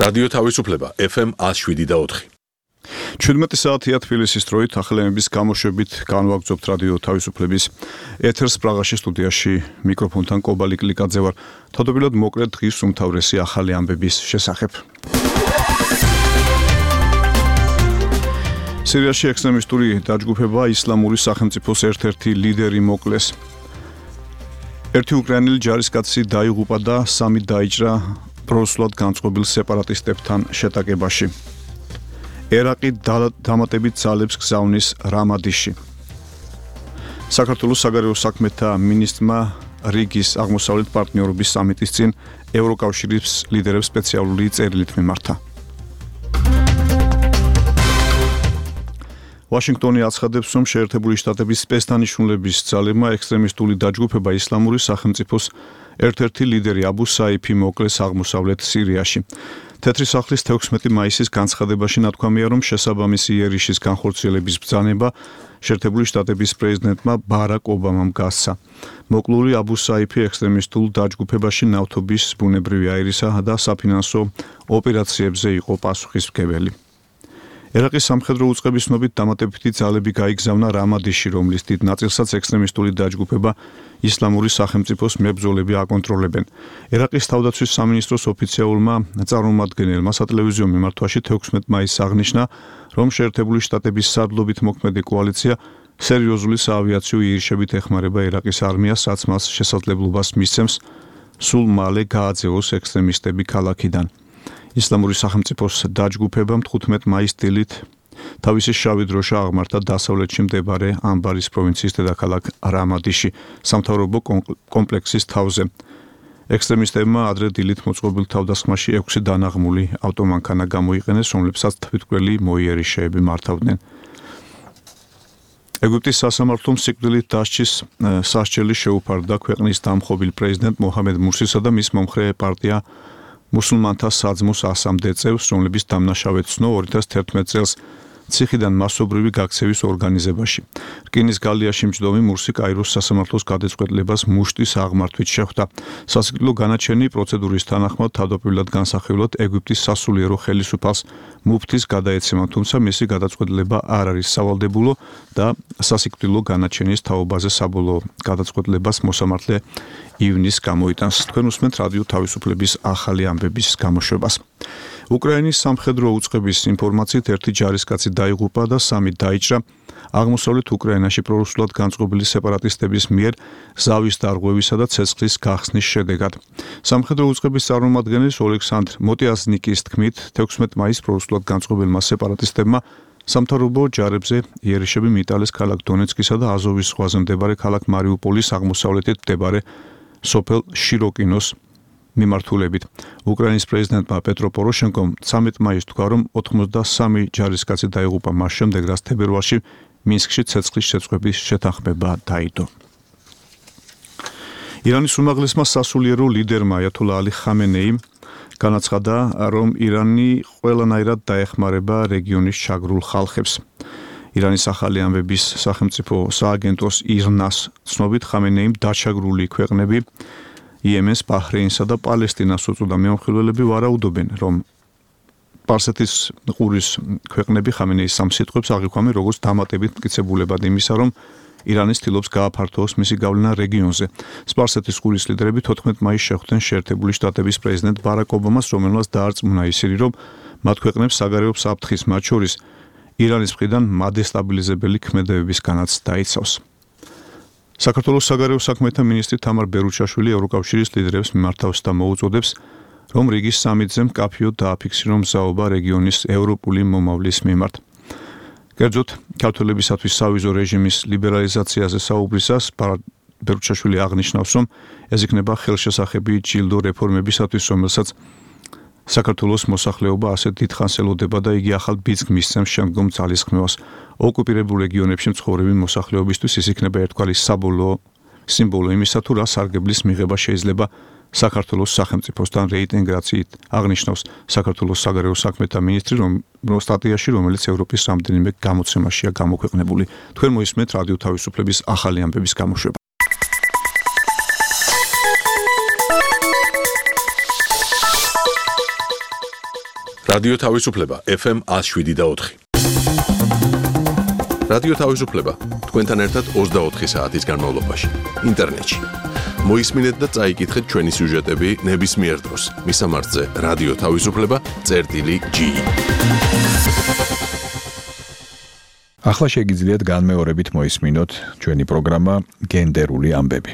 რადიო თავისუფლება FM 107.4. 17 საათია თბილისის დროით ახალემების გამოშვებით განვაგრძობთ რადიო თავისუფლების ეთერს პრაღაში სტუდიაში მიკროფონთან კობალი კლიკაძე ვარ. თავდაპირველად მოკლედ დღის უმთავრესი ახალი ამბების შესახებ. სირიაში ექსტრემისტული დაჯგუფება ისლამური სახელმწიფოს ერთ-ერთი ლიდერი მოკლეს. ერთი უკრაინელი ჯარისკაცი დაიღუპა და 3 დაიჭრა პროსულად განწყობილ სეპარატისტებთან შეტაკებაში. ერაყი დამატებით ძალებს გზავნის რამადიში. საქართველოს საგარეო საქმეთა მინისტრმა რიგის აღმოსავლეთ პარტნიორობის სამიტის წინ ევროკავშირის ლიდერებს სპეციალური წერილით მიმართა. ვაშინგტონი აცხადებს, რომ შეერთებული შტატების სპეცდანიშნულების ძალებმა ექსტრემისტული დაჯგუფება ისლამური სახელმწიფოს ერთ-ერთი ლიდერი აბუ საიფი მოკლეს აღმოსავლეთ სირიაში. თეთრი სახლის 16 მაისის განცხადებაში ნათქვამია, რომ შესაბამისი იერიშის განხორციელების ბრძანება შეერთებული შტატების პრეზიდენტმა ბარაკ ობამამ გასცა. მოკლული აბუ საიფი ექსტრემისტულ დაჯგუფებაში ნავთობის, ბუნებრივი აირისა და საფინანსო ოპერაციებზე იყო პასუხისმგებელი. ერაყის სამხედრო უწყების ცნობით დამატებითი ძალები გაიგზავნა რამადიში, რომლის დიდ ნაწილსაც ექსტრემისტული დაჯგუფება ისლამური სახელმწიფოს მებრძოლები აკონტროლებენ. ერაყის თავდაცვის სამინისტროს ოფიციალურმა წარმომადგენელმა სატელევიზიო მიმართვაში 16 მაისს აღნიშნა, რომ შეერთებული შტატების სარდლობით მოქმედი კოალიცია სერიოზული საავიაციო იერიშებით ეხმარება ერაყის არმიას, რაც მას შესაძლებლობას მისცემს სულ მალე გააძევოს ექსტრემისტები ქალაქიდან. ისლამური სახელმწიფოს დაჯგუფებამ 15 მაისს დილით თავისი შავი დროშა აღმართა დასავლეთში მდებარე ამბარის პროვინციის დედაქალაქ რამადიში, სამთავრობო კომპლექსის თავზე. ექსტრემისტებმა ადრე დილით მოწყობილ თავდასხმაში 6 დანაღმული ავტომანქანა გამოიყენეს, რომლებსაც თვითმკვლელი მოიერიშეები მართავდნენ. ეგვიპტის სასამართლომ სიკვდილით დასჯის სასჯელი შეუფარდა ქვეყნის დამხობილ პრეზიდენტ მოჰამედ მურსისა და მის მომხრე პარტია მუსულმანთა საძმოს ასამდე წევრს, რომლების დამნაშავედ ცნო 2011 წელს ციხიდან მასობრივი გაქცევის ორგანიზებაში. რკინის გალიაში მჯდომი მურსი კაიროს სასამართლოს გადაწყვეტილებას მუშტის აღმართვით შეხვდა. სასიკვდილო განაჩენი პროცედურის თანახმად თავდაპირველად განსახილვად ეგვიპტის სასულიერო ხელისუფალს მუფთის გადაეცემა, თუმცა მისი გადაწყვეტილება არ არის სავალდებულო და სასიკვდილო განაჩენის თაობაზე საბოლოო გადაწყვეტილებას მოსამართლე ივნის გამოიტანს. თქვენ უსმენთ რადიო თავისუფლების ახალი ამბების გამოშვებას. უკრაინის სამხედრო უწყების ინფორმაციით ერთი ჯარისკაცი დაიღუპა და 3 დაიჭრა აღმოსავლეთ უკრაინაში პრორუსულად განწყობილი სეპარატისტების მიერ ზავის დარღვევისა და ცეცხლის გახსნის შედეგად. სამხედრო უწყების წარმომადგენლის ოლექსანდრ მოტიაზნიკის თქმით, 16 მაისს პრორუსულად განწყობილმა სეპარატისტებმა სამთავრობო ჯარებზე იერიშები მიიტანეს ქალაქ დონეცკისა და აზოვის ზღვაზე მდებარე ქალაქ მარიუპოლის აღმოსავლეთით მდებარე სოფელ შიროკინოს მიმართულებით. უკრაინის პრეზიდენტმა პეტრო პოროშენკომ 13 მაისს თქვა, რომ 83 ჯარისკაცი დაიღუპა მას შემდეგ, რაც თებერვალში მინსკში ცეცხლის შეწყვეტის შეთანხმება დაიდო. ირანის უმაღლესმა სასულიერო ლიდერმა აიათოლა ალი ხამენეიმ განაცხადა, რომ ირანი ყველანაირად დაეხმარება რეგიონის ჩაგრულ ხალხებს. ირანის ახალი ამბების სახელმწიფო სააგენტოს ირნას ცნობით ხამენეიმ დაჩაგრული ქვეყნები იემენს, ბაჰრეინსა და პალესტინას უწოდა. მეომხილველები ვარაუდობენ, რომ სპარსეთის ყურის ქვეყნები ხამენეის ამ სიტყვებს აღიქვამენ როგორც დამატებით მტკიცებულებად იმისა, რომ ირანი ცდილობს გააფართოვოს მისი გავლენა რეგიონზე. სპარსეთის ყურის ლიდერები 14 მაისს შეხვდნენ შეერთებული შტატების პრეზიდენტ ბარაკ ობამას, რომელმაც დაარწმუნა ისინი, რომ მათ ქვეყნებს საგარეო საფრთხის, მათ შორის ირანის მხრიდან მადესტაბილიზებელი ქმედებებისგანაც დაიცავს. საქართველოს საგარეო საქმეთა მინისტრი თამარ ბერუჩაშვილი ევროკავშირის ლიდერებს მიმართავს და მოუწოდებს, რომ რიგის სამიტზე მკაფიოდ დააფიქსირონ მზაობა რეგიონის ევროპული მომავლის მიმართ. კერძოდ, ქართველებისათვის სავიზო რეჟიმის ლიბერალიზაციაზე საუბრისას ბერუჩაშვილი აღნიშნავს, რომ ეს იქნება ხელშესახები ჯილდო რეფორმებისათვის, რომელსაც საქართველოს მოსახლეობა ასეთ დიდხანს ელოდება და იგი ახალ ბიძგს მისცემს შემდგომ ძალისხმევას. ოკუპირებულ რეგიონებში მცხოვრები მოსახლეობისთვის ის იქნება ერთგვარი საბოლოო სიმბოლო იმისა, თუ რა სარგებლის მიღება შეიძლება საქართველოს სახელმწიფოსთან რეინტეგრაციით, აღნიშნავს საქართველოს საგარეო საქმეთა მინისტრი სტატიაში, რომელიც ევროპის რამდენიმე გამოცემაშია გამოქვეყნებული. თქვენ მოისმენთ რადიო თავისუფლების ახალი ამბების გამოშვება. რადიო თავისუფლება FM 107.4. რადიო თავისუფლება თქვენთან ერთად 24 საათის განმავლობაში ინტერნეტში. მოისმინეთ და წაიკითხეთ ჩვენი სიუჟეტები ნებისმიერ დროს. მისამართზე რადიო თავისუფლება.ge. ახლა შეგიძლიათ განმეორებით მოისმინოთ ჩვენი პროგრამა გენდერული ამბები.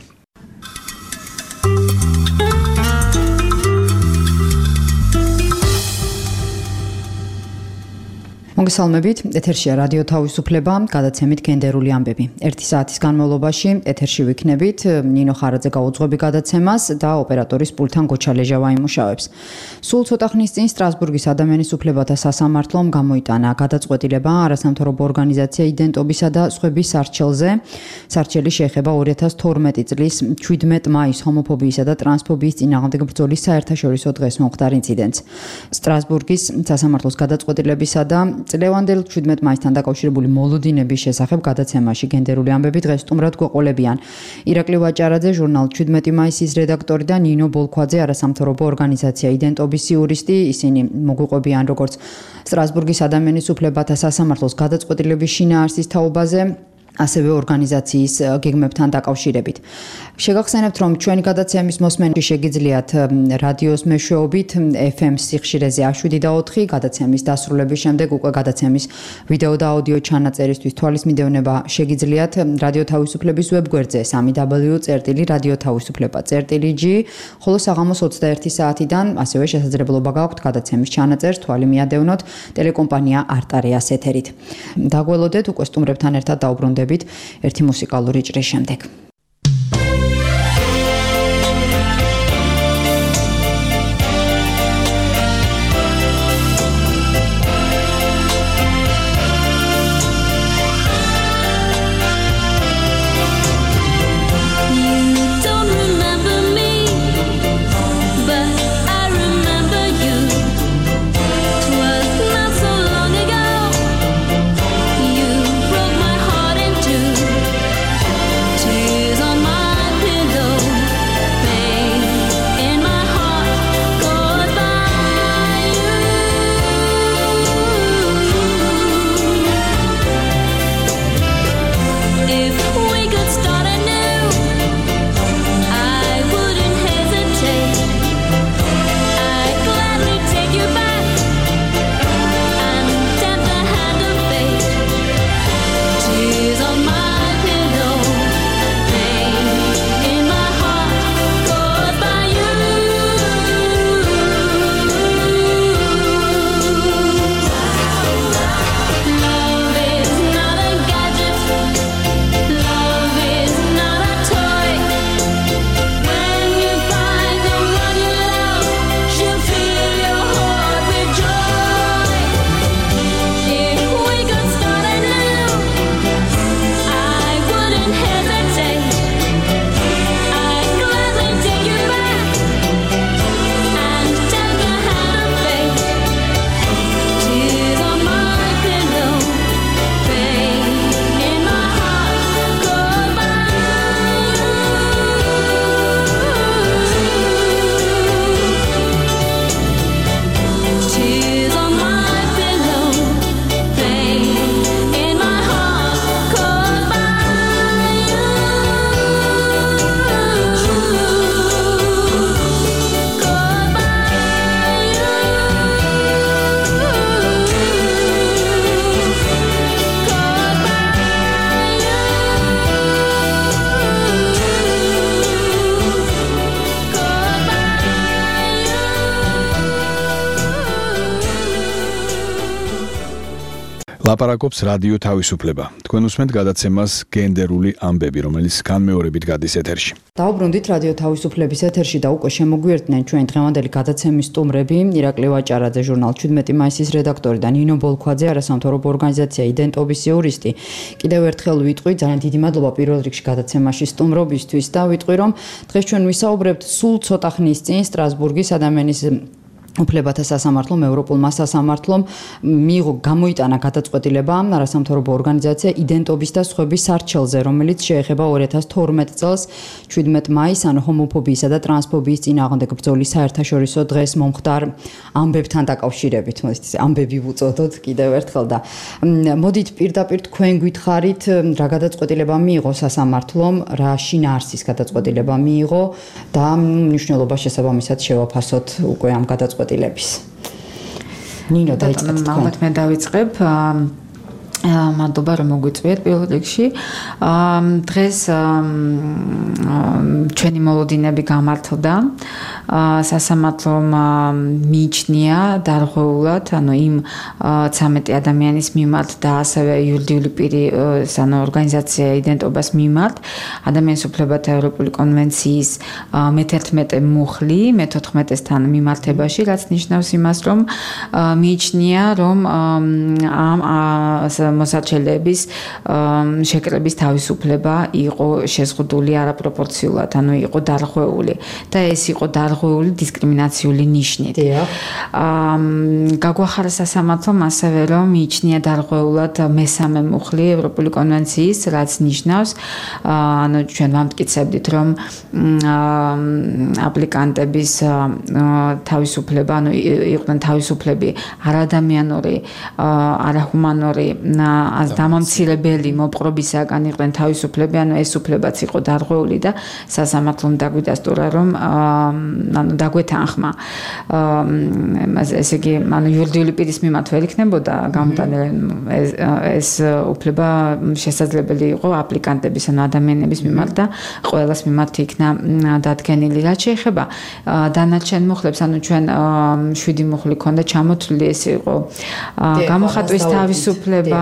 მოგესალმებით, ეთერშია რადიო თავისუფლება, გადაცემით გენდერული ამბები. 1 საათის განმავლობაში ეთერში ვიქნებით, ნინო ხარაძე გაუძღვები გადაცემას და ოპერატორის პულთან გოჩა ლეჟავა იმუშავებს. სულ ცოტა ხნის წინ სტრასბურგის ადამიანის უფლებათა სასამართლომ გამოიტანა გადაწყვეტილება არასამთავრობო ორგანიზაცია იდენტობისა და სხვების სარჩელზე. სარჩელი შეეხება 2012 წლის 17 მაისს ჰომოფობიისა და ტრანსფობიის წინააღმდეგ ბრძოლის საერთაშორისო დღეს მომხდარ ინციდენტს. სტრასბურგის სასამართლოს გადაწყვეტილებისა და წლევანდელ 17 მაისთან დაკავშირებული მოლოდინების შესახებ გადაცემაში გენდერული ამბები დღეს სტუმრად გვეყოლებიან. ირაკლი ვაჭარაძე, ჟურნალ 17 მაისის რედაქტორი და ნინო ბოლქვაძე, არასამთავრობო ორგანიზაცია იდენტობის იურისტი. ისინი მოგვიყვებიან როგორც სტრასბურგის ადამიანის უფლებათა სასამართლოს გადაწყვეტილების შინაარსის თაობაზე, ასევე ორგანიზაციის გეგმებთან დაკავშირებით. შეგახსენებთ, რომ ჩვენი გადაცემის მოსმენაში შეგიძლიათ რადიოს მეშვეობით FM სიხშირეზე 7.4, გადაცემის დასრულების შემდეგ უკვე გადაცემის ვიდეო და აუდიო ჩანაწერისთვის თვალის მიდევნება შეგიძლიათ რადიო თავისუფლების ვებგვერდზე www.radiotavisufleba.ge, ხოლო საღამოს 21 საათიდან ასევე შესაძლებლობა გაქვთ გადაცემის ჩანაწერს თვალი მიადევნოთ ტელეკომპანია არტარეას ეთერით. დაგველოდეთ, უკვე სტუმრებთან ერთად დაუბრუნდებით ერთი მუსიკალური ჭრის შემდეგ. ლაპარაკობს რადიო თავისუფლება. თქვენ უსმენთ გადაცემას გენდერული ამბები, რომელიც განმეორებით გადის ეთერში. დაუბრუნდით რადიო თავისუფლების ეთერში და უკვე შემოგვიერთდნენ ჩვენი დღევანდელი გადაცემის სტუმრები, ირაკლი ვაჭარაძე, ჟურნალ 17 მაისის რედაქტორი და ნინო ბოლქვაძე, არასამთავრობო ორგანიზაცია იდენტობის იურისტი. კიდევ ერთხელ ვიტყვი, ძალიან დიდი მადლობა პირველ რიგში გადაცემაში სტუმრობისთვის და ვიტყვი, რომ დღეს ჩვენ ვისაუბრებთ სულ ცოტა ხნის წინ სტრასბურგის ადამიანის უფლებათა სასამართლომ, ევროპულმა სასამართლომ მიიღო გამოიტანა გადაწყვეტილება არასამთავრობო ორგანიზაცია იდენტობის და სხვების სარჩელზე, რომელიც შეეხება 2012 წელს 17 მაისს, ანუ ჰომოფობიისა და ტრანსფობიის წინააღმდეგ ბრძოლის საერთაშორისო დღეს მომხდარ ამბებთან დაკავშირებით. მოდით ამბები ვუწოდოთ კიდევ ერთხელ და მოდით პირდაპირ თქვენ გითხარით, რა გადაწყვეტილება მიიღო სასამართლომ, რა შინაარსის გადაწყვეტილება მიიღო და მნიშვნელობა შესაბამისად შევაფასოთ უკვე ამ გადაწყვეტილებას. ნინო დაიწყეთ თქვენ. ალბათ მე დავიწყებ. მადლობა რომ მოგვიწვიეთ პირველ რიგში. დღეს ჩვენი მოლოდინები გამართლდა. სასამართლომ მიიჩნია დარღვეულად, ანუ იმ 13 ადამიანის მიმართ და ასევე იურიდიული პირის, ანუ ორგანიზაცია იდენტობას მიმართ ადამიანის უფლებათა ევროპული კონვენციის მე-11 მუხლი, მე-14-სთან მიმართებაში, რაც ნიშნავს იმას, რომ მიიჩნია, რომ ამ მოსარჩელების შეკრების თავისუფლება იყო შეზღუდული არაპროპორციულად, ანუ იყო დარღვეული და ეს იყო დარღვეული დისკრიმინაციული ნიშნით. გაგვახარა სასამართლომ ასევე, რომ მიიჩნია დარღვეულად მე-13 მუხლი ევროპული კონვენციის, რაც ნიშნავს, ანუ ჩვენ ვამტკიცებდით, რომ აპლიკანტების თავისუფლება, ანუ იყვნენ თავისუფლები არადამიანური, არაჰუმანური დამამცირებელი მოპყრობისაგან იყვნენ თავისუფლები, ანუ ეს უფლებაც იყო დარღვეული და სასამართლომ დაგვიდასტურა, რომ ანუ დაგვეთანხმა ესე იგი, ანუ იურიდიული პირის მიმართ ვერ იქნებოდა გამოტანილი ეს უფლება შესაძლებელი იყო აპლიკანტების, ანუ ადამიანების მიმართ და ყველას მიმართ იქნა დადგენილი. რაც შეეხება დანარჩენ მუხლებს, ანუ ჩვენ 7 მუხლი ქონდა ჩამოთვლილი, ეს იყო გამოხატვის თავისუფლება,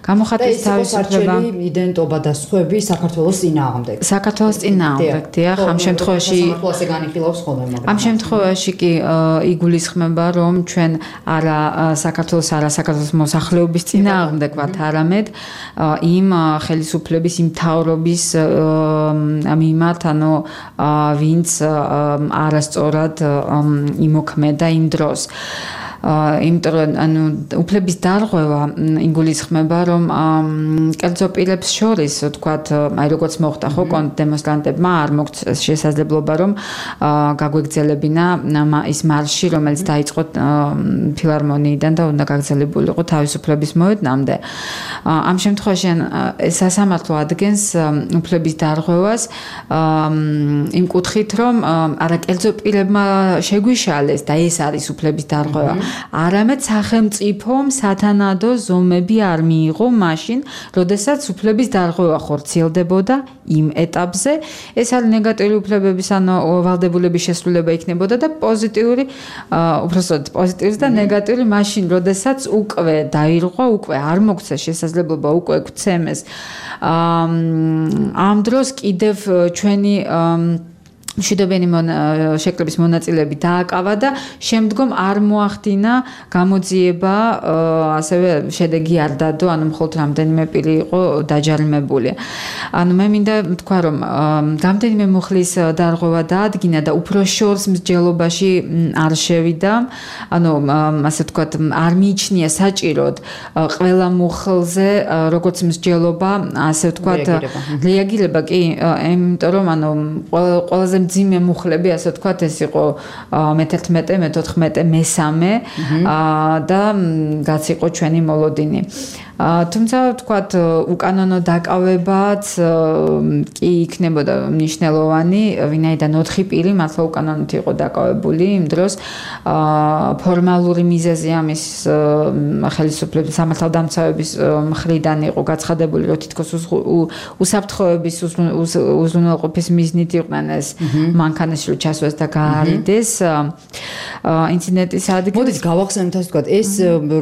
გამოხატვის თავისუფლება, იდენტობა და სხვები საქართველოს წინააღმდეგ. საქართველოს წინააღმდეგ, დიახ, ამ შემთხვევაში სამართლოზე განიხილავს ხოლმე, მაგრამ ამ შემთხვევაში კი იგულისხმება, რომ ჩვენ არა საქართველოს მოსახლეობის წინააღმდეგ ვართ, არამედ იმ ხელისუფლების, იმ მთავრობის მიმართ, ანუ ვინც არასწორად იმოქმედა იმ დროს. იმიტომ რომ ანუ უფლების დარღვევა იგულისხმება, რომ კერძო პირებს შორის, ვთქვათ, აი როგორც მოხდა ხო დემონსტრანტებმა არ მოგვცეს შესაძლებლობა, რომ გაგვეგზელებინა ის მარში, რომელიც დაიწყო ფილარმონიიდან და უნდა გაგზელებულიყო თავისუფლების მოედნამდე. ამ შემთხვევაში სასამართლო ადგენს უფლების დარღვევას იმ კუთხით, რომ არა კერძო პირებმა შეგვიშალეს და ეს არის უფლების დარღვევა. არამედ სახელმწიფომ სათანადო ზომები არ მიიღო მაშინ, როდესაც უფლების დარღვევა ხორციელდებოდა იმ ეტაპზე. ეს არის ნეგატიური უფლებების, ანუ ვალდებულების შესრულება იქნებოდა და პოზიტიური, უბრალოდ პოზიტიური და ნეგატიური მაშინ, როდესაც უკვე დაირღვა, უკვე არ მოგვცეს შესაძლებლობა, უკვე გვცემეს. ამ დროს კიდევ ჩვენი მშვიდობიანი შეკრების მონაწილეები დააკავა და შემდგომ არ მოახდინა გამოძიება, ასევე შედეგი არ დადო, ანუ მხოლოდ რამდენიმე პირი იყო დაჯარიმებული. ანუ მე მინდა თქვა, რომ რამდენიმე მუხლის დარღვევა დაადგინა და უფრო შორს მსჯელობაში არ შევიდა, ანუ ასე ვთქვათ, არ მიიჩნია საჭიროდ ყველა მუხლზე როგორც მსჯელობა, ასე ვთქვათ, რეაგირება კი, იმიტომ რომ ანუ ყველაზე მძიმე მუხლები, ასე ვთქვათ, ეს იყო მე-11, მე-14, მე-13 და რაც იყო ჩვენი მოლოდინი. თუმცა ვთქვათ, უკანონო დაკავებაც კი იქნებოდა მნიშვნელოვანი, ვინაიდან 4 პირი მართლა უკანონოდ იყო დაკავებული იმ დროს. ფორმალური მიზეზი ამის ხელისუფლების სამართალდამცავების მხრიდან იყო გაცხადებული, რომ თითქოს უსაფრთხოების უზრუნველყოფის მიზნით იყვნენ ეს მანქანაში ჩასვეს და გაარიდეს ინციდენტის ადგილს. მოდით გავახსენოთ, ასე ვთქვათ, ეს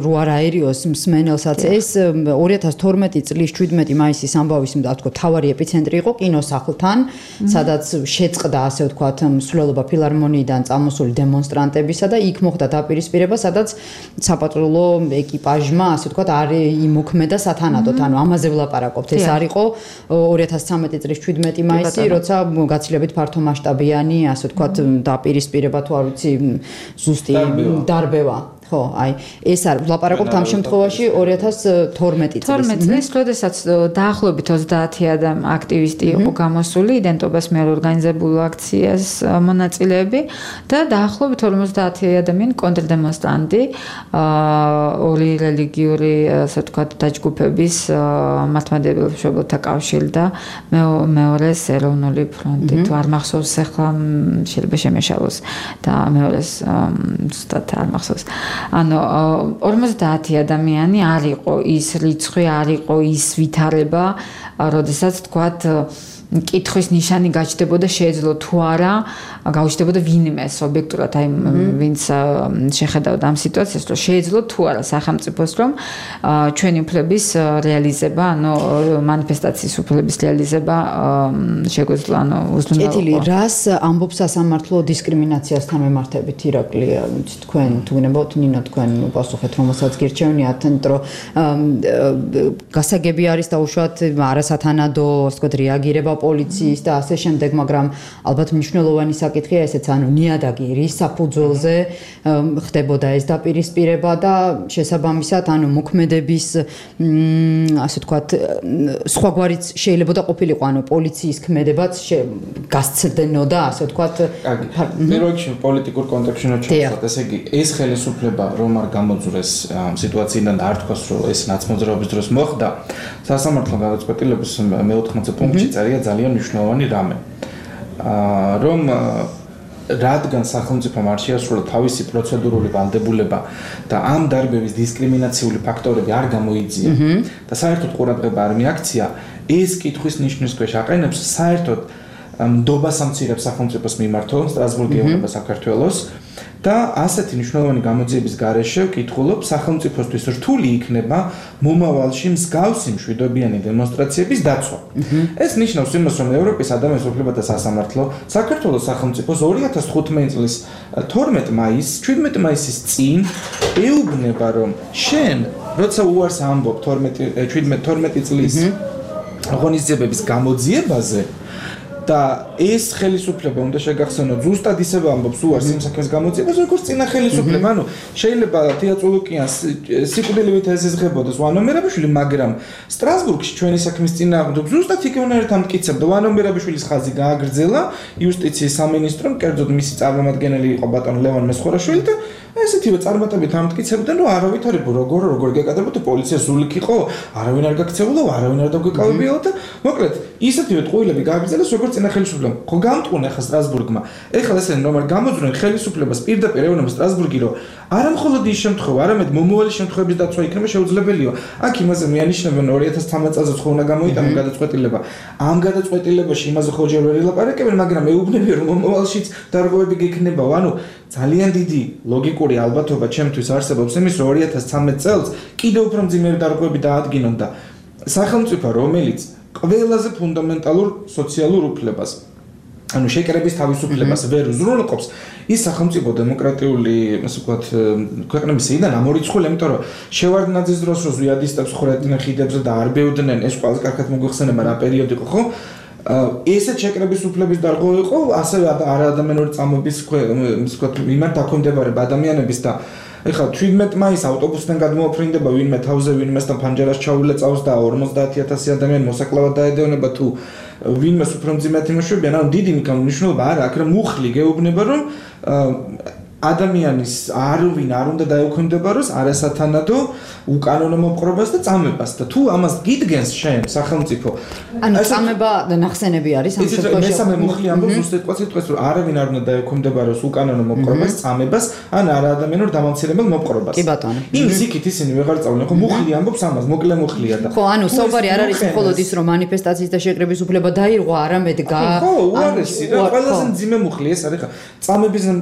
რო არ აერიოს მსმენელსაც, ეს 2012 წლის 17 მაისის ამბავის, ვთქვათ, თავარი ეპიცენტრი იყო კინოსახლთან, სადაც შეწყდა, ასე ვთქვათ, მსვლელობა ფილარმონიიდან წამოსული დემონსტრანტებისა და იქ მოხდა დაპირისპირება, სადაც საპატრულო ეკიპაჟმა, ასე ვთქვათ, არ იმოქმედა სათანადოდ, ანუ ამაზე ვლაპარაკობთ. ეს არ იყო 2013 წლის 17 მაისი, როცა გაცილებით ფართო მასშტაბით მასშტაბიანი, ასე ვთქვათ, დაპირისპირება თუ არ ვიცი, ზუსტი დარბევა. ხო, აი, ეს არის ლაპარაკობთ ამ შემთხვევაში 2012 წლის. 12 წლის, როდესაც დაახლოებით 30 აქტივისტი იყო გამოსული იდენტობას მიერ ორგანიზებულ აქციას მონაწილეები და დაახლოებით 50 ადამიანი კონტრდემონსტრანტი, ორი რელიგიური, ასე ვთქვათ, დაჯგუფების მართლმადიდებელ მშობელთა კავშირი და მეორეს ეროვნული ფრონტი. თუ არ მახსოვს ახლა შეიძლება შემეშალოს და მეორეს ზუსტად არ მახსოვს. ანუ 50 ადამიანი არ იყო ის რიცხვი, არ იყო ის ვითარება, როდესაც თქვათ კითხვის ნიშანი გაჩნდებოდა შეეძლო თუ არა გაუჩნდებოდა ვინმეს ობიექტურად აი ვინც შეხედავდა ამ სიტუაციას რომ შეეძლო თუ არა სახელმწიფოს რომ ჩვენი უფლების რეალიზება ანუ მანიფესტაციის უფლების რეალიზება შეგვეძლო ანუ უზრუნველყო. კეთილი, რას ამბობს სასამართლო დისკრიმინაციასთან მიმართებით ირაკლი, თქვენ თუ გნებავთ ნინო თქვენ პასუხეთ რომელსაც გირჩევნიათ, იმიტომ რომ გასაგები არის დაუშვათ არასათანადო ასე ვთქვათ რეაგირება პოლიციის და ასე შემდეგ, მაგრამ ალბათ მნიშვნელოვანი საკითხია ესეც, ანუ ნიადაგი რის საფუძველზე ხდებოდა ეს დაპირისპირება და შესაბამისად, ანუ მოქმედების ასე ვთქვათ, სხვაგვარიც შეიძლება ყოფილიყო, ანუ პოლიციის ქმედებაც გასცდენოდა, ასე ვთქვათ. პირველ რიგში პოლიტიკურ კონტექსტში ჩავსვათ, ესე იგი, ეს ხელისუფლება რომ არ გამოძვრეს სიტუაციიდან და არ თქვას, რომ ეს ნაცმოძრაობის დროს მოხდა, სასამართლო გადაწყვეტილების მე-14 პუნქტში წერია ძალიან მნიშვნელოვანი რამე. რომ რადგან სახელმწიფომ არ შეასრულა თავისი პროცედურული ვალდებულება და ამ დარბევის დისკრიმინაციული ფაქტორები არ გამოიძია და საერთოდ ყურადღება არ მიაქცია, ეს კითხვის ნიშნის ქვეშ აყენებს საერთოდ ნდობას ამცირებს სახელმწიფოს მიმართო სტრასბურგი ეუბნება საქართველოს და ასეთი მნიშვნელოვანი გამოძიების გარეშე ვკითხულობ სახელმწიფოსთვის რთული იქნება მომავალში მსგავსი მშვიდობიანი დემონსტრაციების დაცვა. ეს ნიშნავს იმას, რომ ევროპის ადამიანის უფლებათა სასამართლო საქართველოს სახელმწიფოს 2015 წლის 12 მაისს, 17 მაისის წინ ეუბნება, რომ შენ, როცა უარს ამბობ 12 წლის ღონისძიებების გამოძიებაზე და ეს ხელისუფლება უნდა შეგახსენოთ ზუსტად ისევე ამბობს უარს იმ საქმის გამოძიებას, როგორც წინა ხელისუფლება. ანუ შეიძლება თეატროლოგიანს სიკვდილივით ეზიზღებოდეს ვანო მერაბიშვილი, მაგრამ სტრასბურგში ჩვენი საქმის წინააღმდეგ ზუსტად იქ უნარით ამტკიცებდა. ვანო მერაბიშვილის ხაზი გააგრძელა იუსტიციის სამინისტრომ, კერძოდ მისი წარმომადგენელი იყო ბატონ ლევან მესხორაშვილი და ესეთივე წარმატებით ამტკიცებდნენ, რომ არავითარი როგორ გეკადრებოდა პოლიცია სულიკ იყო, არავინ არ გაქცეულა, არავინ არ დაგვეკავებიაო და მოკლედ ისეთივე ტყუილები გააგრძელეს როგორც წინა ხელისუფლებამ. ხო გამტყუნა ახლა სტრასბურგმა. ეხლა ესენ რომ არ გამოძვრენ ხელისუფლებას პირდაპირ ეუბნება სტრასბურგი, რომ არა მხოლოდ ის შემთხვევა, არამედ მომავალი შემთხვევების დაცვა იქნება შეუძლებელია. აქ იმაზე მეანიშნებენ 2013 წელს ხო უნდა გამოიტანო გადაწყვეტილება. ამ გადაწყვეტილებაში იმაზე ხო ჯერ ვერ ელაპარაკებენ, მაგრამ ეუბნებიან რომ მომავალშიც დარღვევები გექნებაო. ანუ ძალიან დიდი ლოგიკური ალბათობა ჩემთვის არსებობს იმის, რომ 2013 წელს კიდევ უფრო მძიმე დარღვევები დაადგინონ და სახელმწიფო, რომელიც ყველაზე ფუნდამენტალურ სოციალურ უფლებას, ანუ შეკრების თავისუფლებას ვერ უზრუნველყოფს, ის სახელმწიფო დემოკრატიული, ასე ვთქვათ, ქვეყნების სიიდან ამორიცხული, იმიტომ რომ შევარდნაძის დროს რო ზვიადისტებს ხვრეტდნენ ხიდებზე და არ ბევდნენ, ეს ყველაზე კარგად მოგვიხსენება რა პერიოდი იყო, ხო? ესეთ შეკრების უფლების დარღვევა იყო, ასევე არაადამიანური წამების ვთქვათ, მიმართ დაქვემდებარება ადამიანების და ეხლა 17 მაისს ავტობუსიდან გადმოაფრინდება ვინმე თავზე, ვინმესთან ფანჯარას ჩაულეწავს და 50,000 ადამიანი მოსაკლავად დაედევნება თუ ვინმეს უფრო მძიმედ იმუშავებიან, ანუ დიდი მნიშვნელობა არა აქვს, რომ მუხლი გეუბნება, რომ ადამიანის არვინ არ უნდა დაექვემდებაროს არასათანადო უკანონო მოპყრობას და წამებას და თუ ამას გიდგენს შენ სახელმწიფო ანუ წამება და ნახსენები არის ამ შემთხვევაში მესამე მუხლი ამბობს უსიტყვას რომ არავინ არ უნდა დაექვემდებაროს უკანონო მოპყრობას წამებას ან არაადამიანურ დამამცირებელ მოპყრობას კი ბატონო იმის იქით ისინი ვეღარ წავლენ ხო მუხლი ამბობს ამას მოკლე მუხლია და ხო ანუ საუბარი არ არის მხოლოდ ის რომ მანიფესტაციის და შეკრების უფლება დაირღვა არამედ ხო უარესი და ყველაზე მძიმე მუხლი ეს არის ხა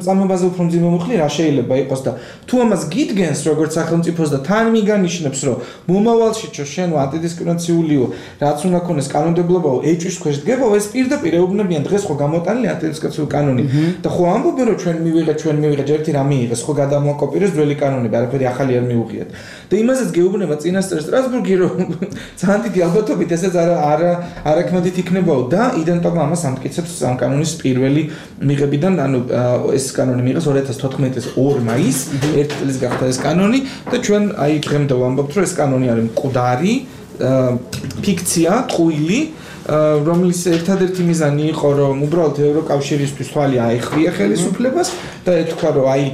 წამებაზე უფრო მძიმე მომხლი რა შეიძლება იყოს და თუ ამას გიდგენს როგორც სახელმწიფოს და თან მიგანიშნებს რომ მომავალში შენ ანტიდისკრიმინაციულიო რაც უნდა ქონდეს კანონმდებლობაო ეჭვის ქვეშ დგებაო ეს პირდაპირ ეუბნებიან დღეს ხო გამოტანილი ანტიდისკრიმინაციული კანონი და ხო ამბობენ რომ ჩვენ მივიღეთ ერთი რა მიიღეს ხო გადამოკოპირეს ძველი კანონები არაფერი ახალი არ მიუღიათ და იმასაც გეუბნება წინასწარ სტრასბურგი რომ ძალიან დიდი ალბათობით ესეც არაქმედით იქნებაო და იდენტობა ამას ამტკიცებს ამ კანონის პირველი მიღებიდან ანუ ეს კანონი მიიღეს 2014 წლის 2 მაისს ერთი წლის გახდა ეს კანონი და ჩვენ აი დღემდე ვამბობთ რომ ეს კანონი არის მკვდარი ფიქცია ტყუილი რომლის ერთადერთი მიზანი იყო რომ უბრალოდ ევროკავშირისთვის თვალი აეხვია ხელისუფლებას და ეთქვა რომ აი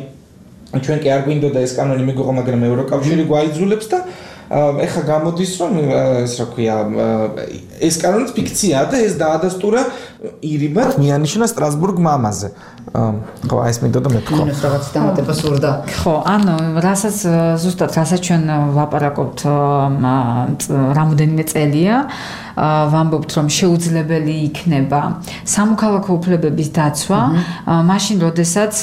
ჩვენ კი არ გვინდოდა ეს კანონი მიგვიღო მაგრამ ევროკავშირი გვაიძულებს და ეხა გამოდის რომ ეს რა ქვია ეს კანონიც ფიქციაა და ეს დაადასტურა ირიბად მიანიშნა სტრასბურგმა ამაზე ხო ეს მინდოდა მეთქვა ეს რაღაც დამატება სურდა ხო ანუ რასაც ზუსტად რასაც ჩვენ ვაპარაკობთ რამოდენიმე წელია ვამბობთ რომ შეუძლებელი იქნება სამოქალაქო უფლებების დაცვა მაშინ როდესაც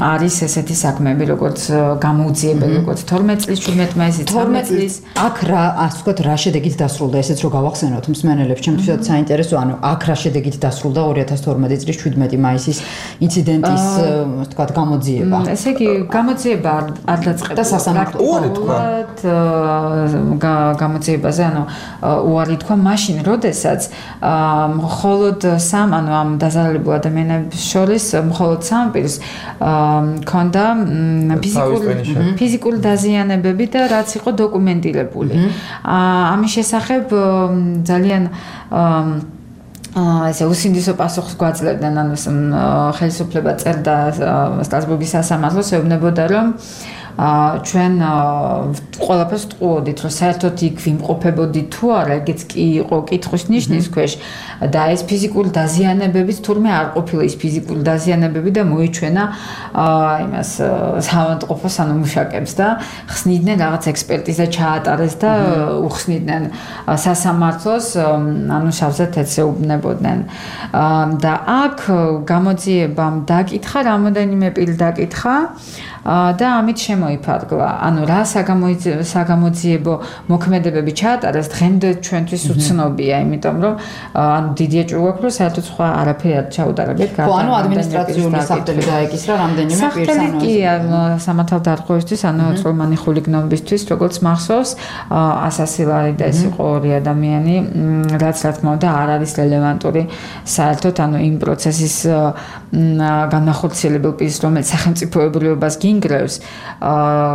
არის ესეთი საქმეები როგორც გამოუძიებელი როგორც 12 წლის 17 მაისის 12 წლის აქ რა ასე ვთქვათ რა შედეგით დასრულდა ესეც რო გავახსენოთ მსმენელებს ჩემთვისაც საინტერესო ანუ აქ რა შედეგით დასრულდა 2012 წლის 17 მაისის ინციდენტის ასე ვთქვათ გამოძიება ესე იგი გამოძიება არ დაწყებულა და სასამართლოდ გამოძიებაზე ანუ უარი თქვა მაშინ როდესაც მხოლოდ სამ ანუ ამ დაზარალებულ ადამიანებს შორის მხოლოდ სამ პირს ქონდა ფიზიკური დაზიანებები და რაც იყო დოკუმენტირებული ამის შესახებ ძალიან ესე უსინდისო პასუხს გვაძლევდნენ ანუ ხელისუფლება წერდა სტრასბურგის სასამართლოს ეუბნებოდა რომ ჩვენ ყველაფერს ტყუოდით რომ საერთოდ იქ ვიმყოფებოდით თუ არა ეგეც კი იყო კითხვის ნიშნის ქვეშ და ეს ფიზიკური დაზიანებებიც თურმე არ ყოფილა ის ფიზიკური დაზიანებები და მოიჩვენა იმას საავადმყოფოს ანუ მუშაკებს და ხსნიდნენ რაღაც ექსპერტიზა ჩაატარეს და უხსნიდნენ სასამართლოს ანუ შავზე თეთრეუბნებოდნენ და აქ გამოძიებამ დაკითხა რამოდენიმე პირი დაკითხა და ამით შემოიფარგლა. ანუ რა საგამოძიებო მოქმედებები ჩაატარეს დღემდე ჩვენთვის უცნობია, იმიტომ რომ ანუ დიდი ეჭვი გვაქვს, რომ საერთოდ სხვა არაფერი არ ჩაუტარებთ. ხო, ანუ ადმინისტრაციული საფრთხე დაეკისრა რამდენიმე პირს ანუ კი სამართალდარღვევისთვის, ანუ წვრილმანი ხულიგნობისთვის, როგორც მახსოვს, ასასილარი და ეს იყო ორი ადამიანი, რაც რა თქმა უნდა არ არის რელევანტური საერთოდ ანუ იმ პროცესის განახორციელებელ პირს, რომელიც სახელმწიფოებრიობას გინგრევს,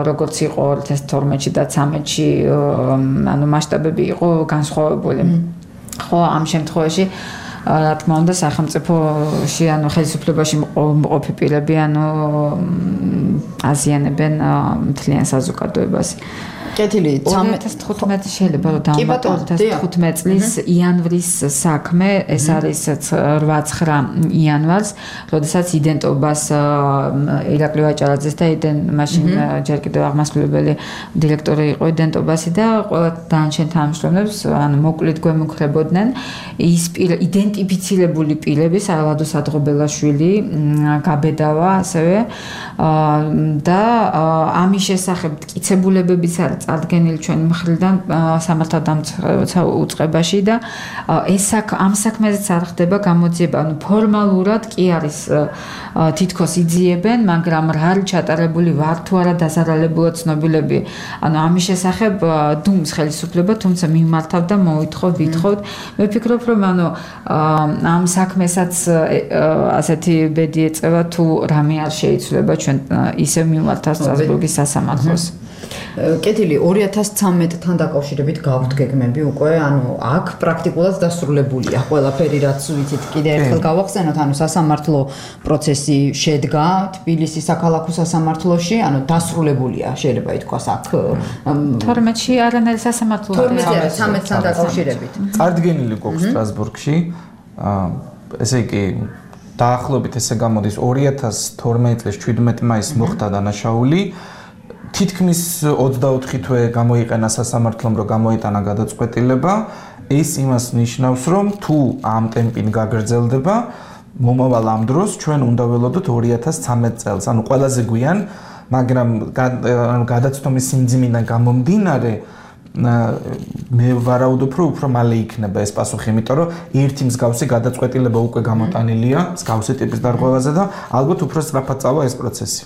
როგორც იყო 2012-ში და 2013-ში, ანუ მასშტაბები იყო განსხვავებული. ხო, ამ შემთხვევაში რა თქმა უნდა სახელმწიფოში ანუ ხელისუფლებაში მყოფი პირები ანუ აზიანებენ მთლიან საზოგადოებას. კეთილი 2015 შეიძლება რომ დავამატოთ 2015 წლის იანვრის საქმე ეს არის 8-9 იანვარს როდესაც იდენტობას ირაკლი ვაჭარაძეს და მაშინ ჯერ კიდევ აღმასრულებელი დირექტორი იყო იდენტობასი და ყველა დანარჩენ თანამშრომლებს ანუ მოკლედ გვემუქრებოდნენ ის იდენტიფიცირებული პირების ალადო სადღობელაშვილი გაბედავა ასევე და ამის შესახებ მტკიცებულებებიც არის წარდგენილი ჩვენი მხრიდან სამართალდამცავ უწყებაში და ეს ამ საქმეზეც არ ხდება გამოძიება, ანუ ფორმალურად კი არის თითქოს იძიებენ, მაგრამ რა არის ჩატარებული ვარ თუ არა დაზარალებულად ცნობილები. ანუ ამის შესახებ დუმს ხელისუფლება, თუმცა მიმართავ და მოვითხოვ, ვითხოვთ. მე ვფიქრობ, რომ ანუ ამ საქმესაც ასეთი ბედი ეწევა თუ რამე არ შეიცვლება ჩვენ ისევ მიმართავ სტრასბურგის სასამართლოს. კეთილი 2013-თან დაკავშირებით გაქვთ გეგმები უკვე, ანუ აქ პრაქტიკულად დასრულებულია ყველაფერი, რაც ვიცით. კიდე ერთხელ გავახსენოთ, ანუ სასამართლო პროცესი შედგა თბილისის საქალაქო სასამართლოში, ანუ დასრულებულია, შეიძლება ითქვას აქ 12-ში არანაირი სასამართლო 13-თან დაკავშირებით. წარდგენილი გვაქვს სტრასბურგში. ესე იგი დაახლოებით ესე გამოდის 2012 წლის 17 მაისს მოხდა დანაშაული. თითქმის 24 თვე გამოიყენა სასამართლომ, რომ გამოიტანა გადაწყვეტილება. ეს იმას ნიშნავს, რომ თუ ამ ტემპით გაგრძელდება, მომავალ ამ დროს ჩვენ უნდა ველოდოთ 2013 წელს, ანუ ყველაზე გვიან, მაგრამ გადაცდომის სიმძიმიდან გამომდინარე მე ვარაუდობ, რომ უფრო მალე იქნება ეს პასუხი, იმიტომ რომ ერთი მსგავსი გადაწყვეტილება უკვე გამოტანილია მსგავსი ტიპის დარღვევაზე და ალბათ უფრო სწრაფად წავა ეს პროცესი.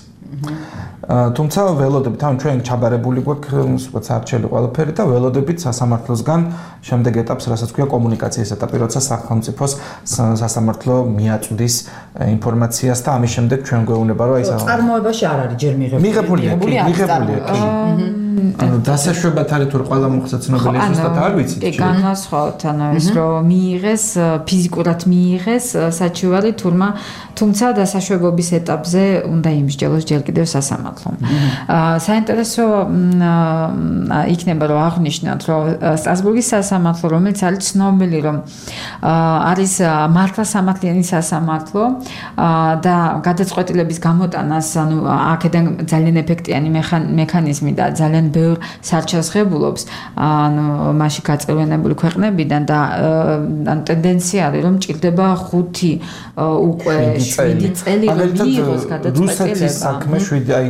თუმცა ველოდებით, ანუ ჩვენ ჩაბარებული გვაქვს როგორც არჩეული ყველაფერი და ველოდებით სასამართლოსგან შემდეგ ეტაპს, რასაც ქვია კომუნიკაციის ეტაპი, როცა სახელმწიფოს სასამართლო მიაწვდის ინფორმაციას და ამის შემდეგ ჩვენ გვეუბნება, რომ აი წარმოებაში არ არის ჯერ მიღებულია. ანუ დასაშვებად არის თუ ყველა მოხდა ცნობილი ზუსტად არ ვიცით. კი, განვასხვაოთ, ანუ ეს რომ მიიღეს, ფიზიკურად მიიღეს საჩივარი თურმა, თუმცა დასაშვებობის ეტაპზე უნდა იმსჯელოს ჯერ კიდევ სასამართლომ. საინტერესო იქნება რომ აღვნიშნოთ, რომ სტრასბურგის სასამართლო, რომელიც არის ცნობილი, რომ არის მართლმსამართლიანი სასამართლო და გადაწყვეტილების გამოტანას, ანუ აქედან ძალიან ეფექტიანი მექანიზმი და ძალიან ბევრ სარჩელს ღებულობს, ანუ მასში გაწევრიანებული ქვეყნებიდან და ტენდენცია არის, რომ ჭირდება 5 უკვე 7 წელი მიიღოს გადაწყვეტილება. რუსეთის საქმე 7 აი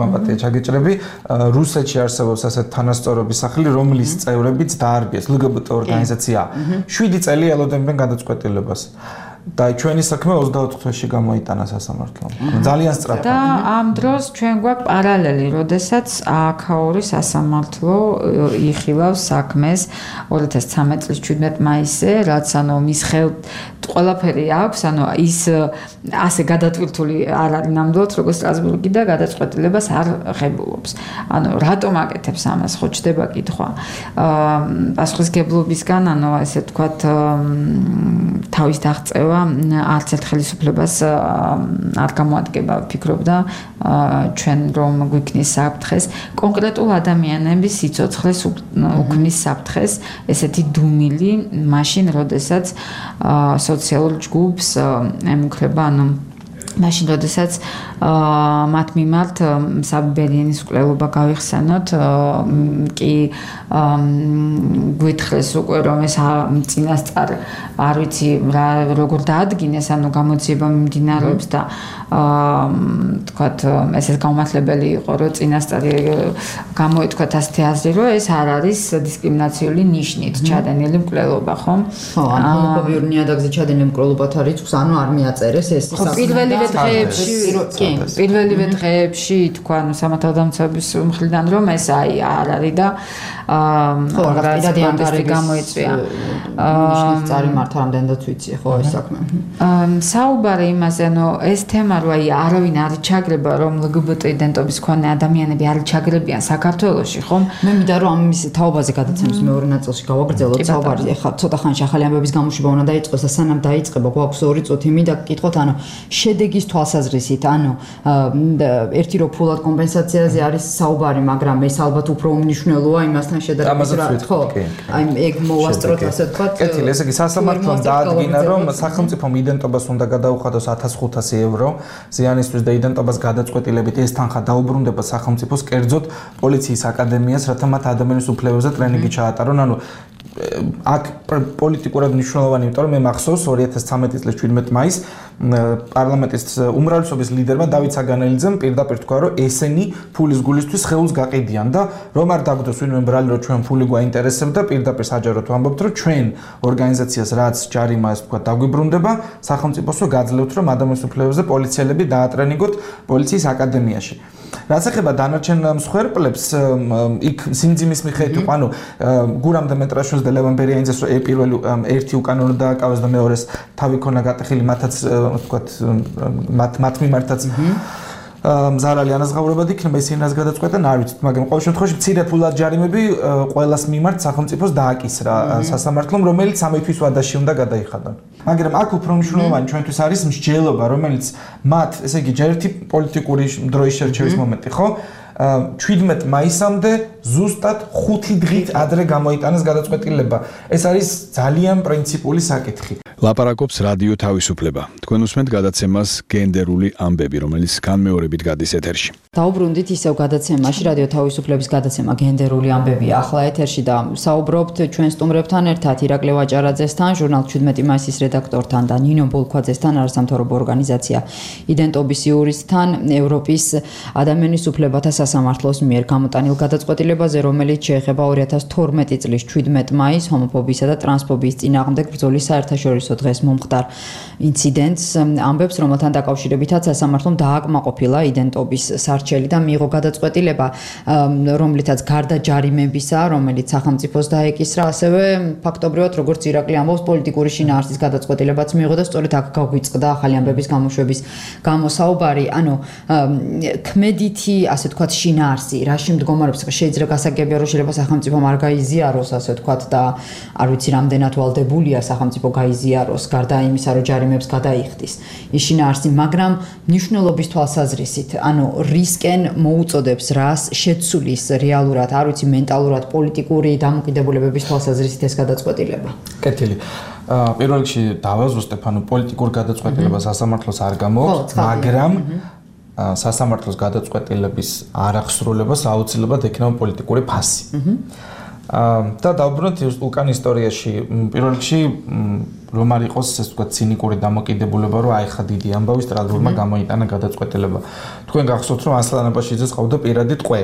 მამატია ჩაგეჭრები, რუსეთში არსებობს ასეთ თანასწორობის სახლი, რომლის წევრებიც დაარბიეს LGBT ორგანიზაცია. 7 წელი ელოდებენ გადაწყვეტილებას. და ჩვენი საქმე 24 თვეში გამოიტანა სასამართლომ. ძალიან სწრაფად. და ამ დროს ჩვენ გვაქვს პარალელი, როდესაც აქაური სასამართლო იხილავს საქმეს 2013 წლის 17 მაისზე, რაც ანუ მის ხელთ ყველაფერი აქვს, ანუ ის ასე გადატვირთული არ არის ნამდვილად, როგორც სტრასბურგი და გადაწყვეტილებას არ ღებულობს. ანუ რატომ აკეთებს ამას, ხო ჩდება კითხვა. პასუხისგებლობისგან, ანუ ესე ვთქვათ, თავის დაღწევა არც ერთ ხელისუფლებას არ გამოადგება, ვფიქრობდა ჩვენ რომ გვიქნის საფრთხეს კონკრეტულ ადამიანების სიცოცხლეს უქმნის საფრთხეს, ესეთი დუმილი მაშინ, როდესაც სოციალურ ჯგუფს ემუქრება, ანუ მაშინ, როდესაც მათ მიმართ საბერიანის მკვლელობა გავიხსენოთ, კი გვითხრეს უკვე რომ ეს წინასწარ არ ვიცი როგორ დაადგინეს, ანუ გამოძიება მიმდინარეობს და თქვათ ესეც გამართლებელი იყო, რომ წინასწარი გამოეთქვათ ასეთი აზრი, რომ ეს არ არის დისკრიმინაციული ნიშნით ჩადენილი მკვლელობა, ხო? ხო, ანუ ჰომოფობიურ ნიადაგზე ჩადენილი მკვლელობათა რიცხვს ანუ არ მიაწერეს ეს პირველივე დღეებში თქვა ანუ სამართალდამცავების მხრიდან რომ ეს აი არ არის და რადიანდარი გამოიწვია ნიშნის წარიმართ ამდენადაც ვიცი ხო ეს საქმე. საუბარი იმაზე, ანუ ეს თემა რო აი არავინ არ ჩაგრება, რომ LGBT იდენტობის მქონე ადამიანები არ ჩაგრებიან საქართველოში, ხომ? მე მინდა რომ ამის თაობაზე გადაცემის მეორე ნაწილში გავაგრძელოთ საუბარი. ეხლა ცოტა ხანში ახალი ამბების გამოშვება უნდა დაიწყოს და სანამ დაიწყება, გვაქვს 2 წუთი, მინდა გკითხოთ, ანუ შედეგის თვალსაზრისით, ანუ ერთი რო ფულად კომპენსაციაზე არის საუბარი, მაგრამ ეს ალბათ უფრო უმნიშვნელოა იმასთან შედარებით, ხო? აი ეგ მოვასწროთ ასე ვთქვათ. კეთილი, ესე იგი სასამართლომ დაადგინა, რომ სახელმწიფომ იდენტობას უნდა გადაუხადოს 1500 евро ზიანისთვის და იდენტობას გადაწყვეტილებით ეს თანხა დაუბრუნდება სახელმწიფოს, კერძოდ პოლიციის აკადემიას, რათა მათ ადამიანის უფლებებზე ტრენინგი ჩაატარონ, ანუ აქ პოლიტიკურად მნიშვნელოვანი, იმიტომ რომ მე მახსოვს 2013 წლის 17 მაისს პარლამენტის უმრავლესობის ლიდერმა დავით საგანელიძემ პირდაპირ თქვა, რომ ესენი ფულის გულისთვის ხელს გაყიდიან და რომ არ დაგვდოს ვინმე ბრალი, რომ ჩვენ ფული გვაინტერესებდა, პირდაპირ საჯაროდ ვამბობთ, რომ ჩვენ ორგანიზაციას რაც ჯარიმა ეს თქვა დაგვიბრუნდება, სახელმწიფოს გაძლევთ, რომ ადამიანის უფლებებზე პოლიციელები დაატრენინგოთ პოლიციის აკადემიაში. რაც ეხება დანარჩენ მსხვერპლებს, იქ სიმძიმის მიხედვით იყო, ანუ გურამ დემეტრაშვილს და ლევან ბერიანიძეს პირველი ერთი უკანონო დააკავეს და მეორეს თავი ქონა გატეხილი, მათაც ვთქვათ მათ მიმართაც მზარალი ანაზღაურებად იქნება, ისინი რას გადაწყვეტენ, არ ვიცით, მაგრამ ყოველ შემთხვევაში მცირე ფულად ჯარიმები ყველას მიმართ სახელმწიფოს დააკისრა სასამართლომ, რომელიც 3 თვის ვადაში უნდა გადაიხადონ. მაგრამ აქ უფრო მნიშვნელოვანი ჩვენთვის არის მსჯელობა, რომელიც მათ, ესე იგი, ჯერ ერთი პოლიტიკური დროის შერჩევის მომენტი, ხო? 17 მაისამდე ზუსტად 5 დღით ადრე გამოიტანეს გადაწყვეტილება. ეს არის ძალიან პრინციპული საკითხი. ლაპარაკობს რადიო თავისუფლება. თქვენ უსმენთ გადაცემას გენდერული ამბები, რომელიც განმეორებით გადის ეთერში. დაუბრუნდით ისევ გადაცემაში, რადიო თავისუფლების გადაცემა გენდერული ამბები ახლა ეთერში და საუბრობთ ჩვენ სტუმრებთან ერთად ირაკლი ვაჭარაძესთან, ჟურნალ 17 მაისის რედაქტორთან და ნინო ბოლქვაძესთან, არასამთავრობო ორგანიზაცია იდენტობის იურისთან, ევროპის ადამიანის უფლებათა სასამართლოს მიერ გამოტანილ გადაწყვეტილებაზე, რომელიც შეეხება 2012 წლის 17 მაისს ჰომოფობიისა და ტრანსფობიის წინააღმდეგ ბრძოლის საერთაშორისო დღეს მომხდარ ინციდენტს, ამბებს, რომელთან დაკავშირებითაც სასამართლომ დააკმაყოფილა იდენტობის არჩელი და მიიღო გადაწყვეტილება, რომლითაც გარდა ჯარიმებისა, რომელიც სახელმწიფოს დაეკისრა, ასევე ფაქტობრივად როგორც ირაკლი ამბობს, პოლიტიკური შინაარსის გადაწყვეტილებაც მიიღო და სწორედ აქ გაგვიწყდა ახალი ამბების გამოშვების გამოსაუბარი, ანუ ქმედითი, ასე ვთქვათ, შინაარსი, რაში მდგომარეობს, შეიძლება გასაგებია, რომ შეიძლება სახელმწიფომ არ გაიზიაროს, ასე ვთქვათ, და არ ვიცი, რამდენად ვალდებულია სახელმწიფო გაიზიაროს, გარდა იმისა, რომ ჯარიმებს გადაიხდის ის შინაარსი, მაგრამ მნიშვნელობის თვალსაზრისით, ანუ რისკენ მოუწოდებს რას შეცვლის რეალურად, არ ვიცი, მენტალურად, პოლიტიკური დამოკიდებულებების თვალსაზრისით ეს გადაწყვეტილება. კეთილი. პირველ რიგში დავაზუსტებ, ანუ პოლიტიკურ გადაწყვეტილებას სასამართლოს არ გამოაქვს, მაგრამ სასამართლოს გადაწყვეტილების არახსრულებას აუცილებლად ექნება პოლიტიკური ფასი. და დავბრუნოთ უკან ისტორიაში, პირველ რიგში რომ არ იყოს, ესე ვთქვათ, ცინიკური დამოკიდებულება, რომ აი ხა დიდი ამბავი სტრასბურგმა გამოიტანა გადაწყვეტილება. თქვენ გახსოვთ, რომ ასლან აბაშიძეს ყავდა პირადი ტყვე.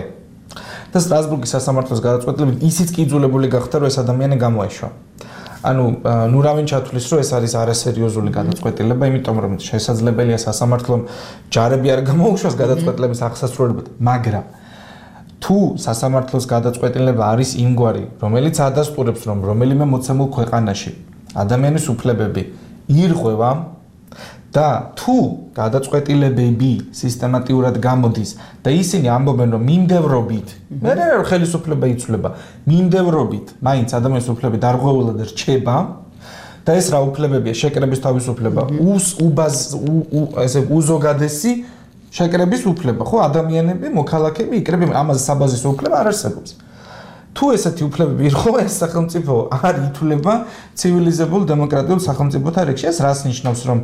და სტრასბურგის სასამართლოს გადაწყვეტილებით ისიც კიძულებული გახდა, რომ ეს ადამიანი გამოეშვა. ანუ ნუ რა ვინ ჩათვლის, რომ ეს არის არასერიოზული გადაწყვეტილება, იმიტომ რომ შესაძლებელია სასამართლომ ჯარები არ გამოუშვას გადაწყვეტილების აღსასრულებლად, მაგრამ თუ სასამართლოს გადაწყვეტილება არის იმგვარი, რომელიც ადასტურებს, რომ რომელიმე მოცემულ ქვეყანაში ადამიანის უფლებები ირღვევა და თუ გადაწყვეტილებები სისტემატიურად გამოდის და ისინი ამბობენ, რომ მიმდევრობით, მე რა ხელისუფლება იცვლება, მიმდევრობით, მაინც ადამიანის უფლებები დარღვეულად რჩება და ეს რა უფლებებია, შეკრების თავისუფლება, ესე უზოგადესი შეკრების უფლება, ხო, ადამიანები, მოქალაქეები იკრებენ, ამაზე საბაზისო უფლება არ არსებობს. თუ ესეთი უფლებები ირღვევა, ეს სახელმწიფო არ ითვლება ცივილიზებულ დემოკრატიულ სახელმწიფოთა რიგში. ეს რას ნიშნავს, რომ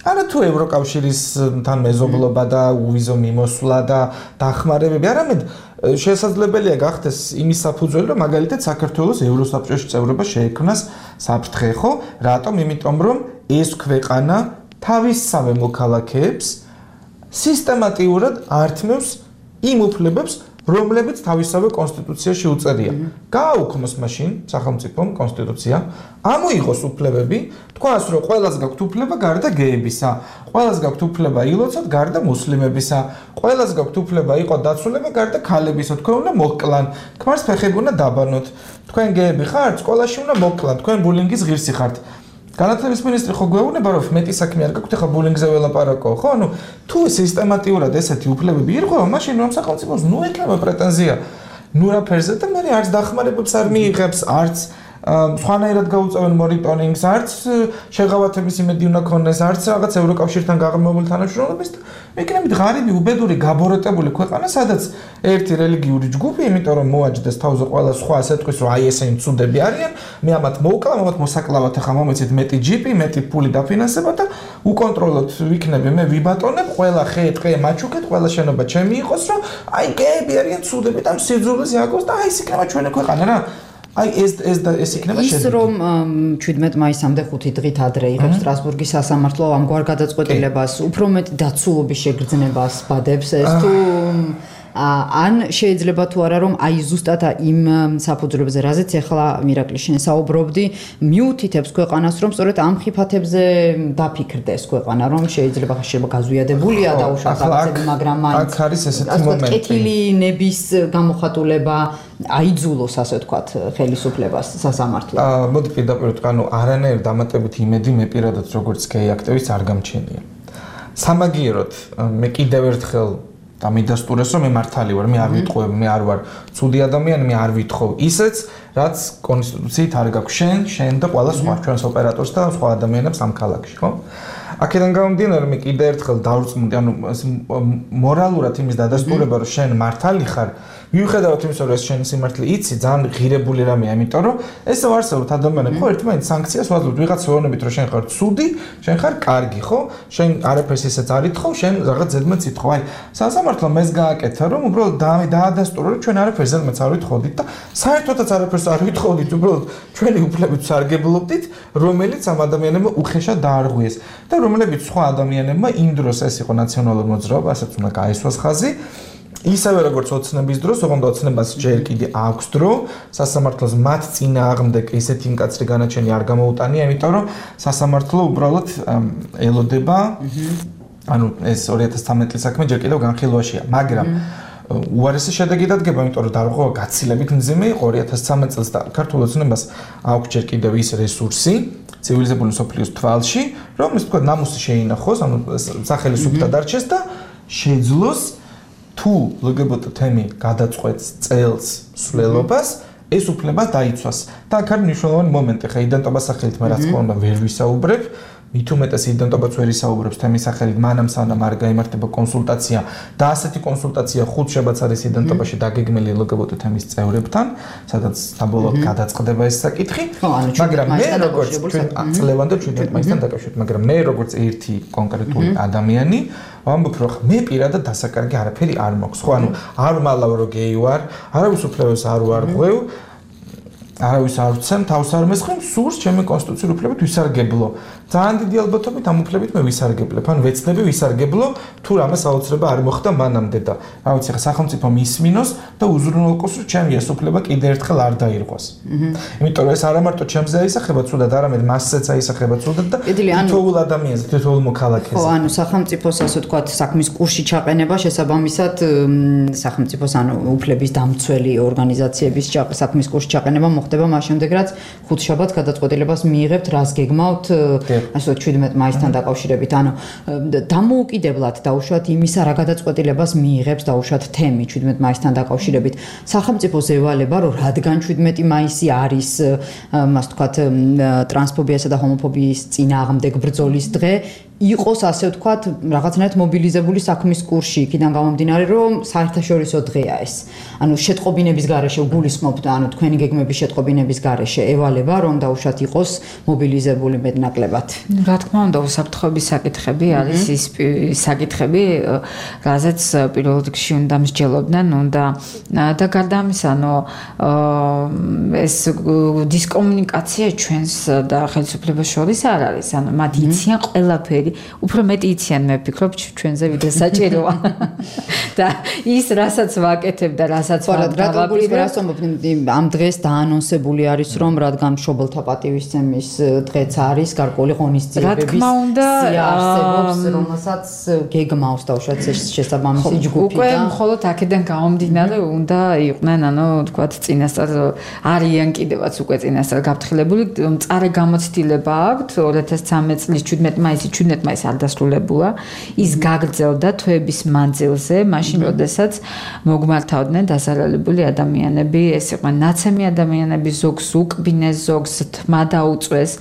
არა თუ ევროკავშირისთან მეზობლობა და უვიზო მიმოსვლა და დახმარებები, არამედ შესაძლებელია გახდეს იმის საფუძველი, რომ მაგალითად საქართველოს ევროსაბჭოში წევრობა შეექმნას საფრთხე, ხო? რატომ? იმიტომ რომ ეს ქვეყანა თავისსავე მოქალაქეებს სისტემატიურად ართმევს იმ უფლებებს, რომლებიც თავისსავე კონსტიტუციაში უწერია. გააუქმოს მაშინ სახელმწიფომ კონსტიტუცია, ამოიღოს უფლებები, თქვას, რომ ყველას გაქვთ უფლება გარდა გეებისა, ყველას გაქვთ უფლება ილოცოთ გარდა მუსლიმებისა, ყველას გაქვთ უფლება იყო დაცულება გარდა ქალებისა, თქვენ უნდა მოკლან, ქმარს ფეხები უნდა დაბანოთ, თქვენ გეები ხართ, სკოლაში უნდა მოკლან, თქვენ ბულინგის ღირსი ხართ. განათლების მინისტრი ხო გვეუბნება, რომ მეტი საქმე არ გაქვთ, ახლა ბულინგზე ველაპარაკო, ხო? ანუ თუ სისტემატიურად ესეთი უფლებები ირღვევა, მაშინ რომ სახელმწიფოს ნუ ექნება პრეტენზია ნუ რაფერზე და მე არც დახმარებებს არ მიიღებს, არც სხვანაირად გაუწევენ მონიტორინგს, არც შეღავათების იმედი უნდა ქონდეს, არც რაღაც ევროკავშირთან გაღრმავებული თანამშრომლობის და მეკნებით ღარიბი, უბედური, გაბოროტებული ქვეყანა, სადაც ერთი რელიგიური ჯგუფი, იმიტომ რომ მოაჯდეს თავზე ყველა სხვა ასე თქვის, რომ აი ესენი მცუდები არიან, მე ამათ მოვკლავ, ამათ მოსაკლავად ახლა მომეცით მეტი ჯიპი, მეტი ფული დაფინანსება და უკონტროლოთ ვიქნები, მე ვიბატონებ, ყველა ხე, ტყე მაჩუქეთ, ყველა შენობა ჩემი იყოს, რომ აი გეები არიან მცუდები და სიძულვეს იაგოს და აი ეს იქნება ჩვენი ქვეყანა რა. აი ეს იქნება შედეგი. ის რომ 17 მაისამდე 5 დღით ადრე იღებს სტრასბურგის სასამართლო ამგვარ გადაწყვეტილებას, უფრო მეტი დაცულობის შეგრძნებას ბადებს ეს თუ ან შეიძლება თუ არა რომ აი ზუსტად იმ საფუძვლებზე რაზეც ახლა მირაკლი შენ საუბრობდი მიუთითებს ქვეყანას რომ სწორედ ამ ხიფათებზე დაფიქრდეს ქვეყანა რომ შეიძლება გაზვიადებულია დაუშვათ რაღაცები მაგრამ აქ არის ესეთი მომენტი კეთილინების გამოხატულება აიძულოს ასე ვთქვათ ხელისუფლებას სასამართლო მოდი პირდაპირ ვთქვა ანუ არანაირ დამატებით იმედი მე პირადად როგორც გეი აქტივისტ არ გამჩენია სამაგიეროდ მე კიდევ ერთხელ და მიდასტურეს რომ მე მართალი ვარ, მე არ ვიტყვევ, მე არ ვარ ცუდი ადამიანი, მე არ ვითხოვ ისეც, რაც კონსტიტუციით არ გაქვს შენ და ყველა სხვა ჩვენს ოპერატორს და სხვა ადამიანებს ამ ქალაქში, ხო? აქედან გამომდინარე მე კიდე ერთხელ დავრწმუნდი, ანუ მორალურად იმის დადასტურება, რომ შენ მართალი ხარ, მიუხედავად იმისა, რომ ეს შენი სიმართლე იცი, ძალიან ღირებული რამეა, იმიტომ რომ ეს ვარსებობთ ადამიანები, ხო, ერთმანეთს სანქციას ვაძლევთ, ვიღაცა ვეუბნებით, რომ შენ ხარ ცუდი, შენ ხარ კარგი, ხო? შენ არაფერს ისეც არ ითხოვ, შენ რაღაც ზედმეტს ითხოვ. აი, სასამართლომ ეს გააკეთა, რომ უბრალოდ დაადასტურა, რომ ჩვენ არაფერს ზედმეტს არ ვითხოვდით და საერთოდაც არაფერს არ ვითხოვდით, უბრალოდ ჩვენი უფლებებს სარგებლობდით, რომელიც ამ ადამიანებმა უხეშად დაარღვიეს და რომლებიც სხვა ადამიანებმა იმ დროს ეს იყო ნაციონალურ მოძრაობა, ასაც უნდა გაესვას ხაზი. ისევე როგორც ოცნების დროს, ოღონდ ოცნებას ჯერ კიდე აქვს დრო, სასამართლოს მათ წინააღმდეგ ესეთი მკაცრი განაჩენი არ გამოუტანია, იმიტომ რომ სასამართლო უბრალოდ ელოდება, ანუ ეს 2013 წლის საქმე ჯერ კიდევ განხილვაშია, მაგრამ უარესი შედეგი დადგება, იმიტომ რომ დარღვევა გაცილებით მძიმე იყო 2013 წელს და ქართულ ოცნებას აქვს ჯერ კიდევ ის რესურსი ცივილიზებული სოფლიოს თვალში, რომ ის თქვა ნამუსი შეინახოს, ანუ სახელისუფლება დარჩეს და შეძლოს თუ LGBT თემი გადაწყვეტს წელს სვლელობას, ეს უფლება დაიცვას. და აქ არის მნიშვნელოვანი მომენტი, ხა იდენტობას სახელით მე რაც თქმა უნდა ვერ ვისაუბრებ, მით უმეტეს იდენტობაც ვერ ისაუბრებს თემის სახელით, მანამ სანამ არ გაიმართება კონსულტაცია და ასეთი კონსულტაცია ხუთშაბათს არის იდენტობაში დაგეგმილი LGBT თემის წევრებთან, სადაც საბოლოოდ გადაწყდება ეს საკითხი, მაგრამ მე როგორც წლევანდელ 17 მაისთან დაკავშირებით, მაგრამ მე როგორც ერთი კონკრეტული ადამიანი ვამბობ, რომ მე პირადად დასაკარგი არაფერი არ მაქვს. ხო, ანუ არ მალავ რომ გეი ვარ, არავის უფლებებს არ ვარღვევ, არავის არ ვცემ, თავს არ მესხმ, სურს ჩემი კონსტიტუციური უფლებებით ვისარგებლო. ძალიან დიდი ალბათობით ამ უფლებით მე ვისარგებლებ, ან ვეცდები ვისარგებლო, თუ რამე საოცრება არ მოხდა მანამდე და რა ვიცი, ხა სახელმწიფო მისმინოს და უზრუნველყოს, რომ ჩემი ეს უფლება კიდე ერთხელ არ დაირღვას. იმიტომ რომ ეს არა მარტო ჩემზე აისახება ცუდად, არამედ მასზეც აისახება ცუდად და თითოეულ ადამიანზე, თითოეულ მოქალაქეზე. ხო, ანუ სახელმწიფოს ასე ვთქვათ, საქმის კურსში ჩაყენება შესაბამისად სახელმწიფოს ანუ უფლების დამცველი ორგანიზაციების საქმის კურსში ჩაყენება ხდება მას შემდეგ რაც ხუთშაბათს გადაწყვეტილებას მიიღებთ რას გეგმავთ ასე 17 მაისთან დაკავშირებით ანუ დამოუკიდებლად დაუშვათ იმისა რა გადაწყვეტილებას მიიღებს დაუშვათ თემი 17 მაისთან დაკავშირებით სახელმწიფოს ევალება რომ რადგან 17 მაისი არის მას ვთქვათ ტრანსფობიასა და ჰომოფობიის წინააღმდეგ ბრძოლის დღე იყოს ასე ვთქვათ რაღაცნაირად მობილიზებული საქმის კურსში იქიდან გამომდინარე რომ საერთაშორისო დღეა ეს ანუ შეტყობინების გარეშე გულისხმობთ ანუ თქვენი გეგმების შეტყობინების გარეშე ევალება რომ დაუშვათ იყოს მობილიზებული მეტნაკლებად რა თქმა უნდა უსაფრთხოების საკითხები არის ის საკითხები რაზეც პირველ რიგში უნდა მსჯელობდნენ უნდა და გარდა ამისა ანუ ეს დისკომუნიკაცია ჩვენს და ხელისუფლებას შორის არ არის ანუ მათ იციან ყველაფერი უფრო მეტი იციან მე ვფიქრობ ჩვენზე ვიდრე საჭიროა და ის რასაც ვაკეთებ და რასაც ვაკეთებ ამ დღეს დაანონსებული არის რომ რადგან მშობელთა პატივისცემის დღეც არის გარკვეული ღონისძიებების არსებობს რომელსაც გეგმავს დაუშვათ შესაბამისი ჯგუფი და უკვე მხოლოდ აქედან გამომდინარე უნდა იყვნენ ანუ თქვათ წინასწარ არიან კიდევაც უკვე წინასწარ გაფრთხილებული მწარე გამოცდილება აქვთ 2013 წლის 17 მაისი 17 მაისს არ დასრულებულა ის გაგრძელდა თვეების მანძილზე მაშინ როდესაც მოგმართავდნენ დასალალებული ადამიანები ეს იყო ნაცემი ადამიანები ზოგს უკბინეს ზოგს თმა დაუწვეს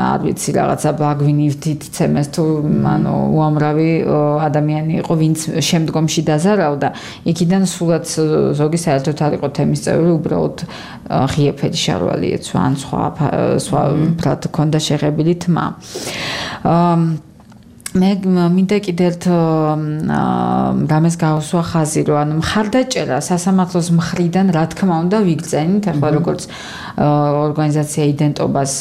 არ ვიცი რაღაცა ბაგვინივთით ცემეს თუ ანუ უამრავი ადამიანი იყო ვინც შემდგომში დაზარავდა იქიდან სულაც ზოგი საერთოდ არ იყო თემის წევრი უბრალოდ ღიაფერი შარვალი ეცვა ან სხვა ფრად ქონდა შეღებილი თმა მე მინდა კიდევ რამეს გავუსვა ხაზი რომ ანუ მხარდაჭერა სასამართლოს მხრიდან რა თქმა უნდა ვიგრძენით ახლა როგორც ორგანიზაცია იდენტობას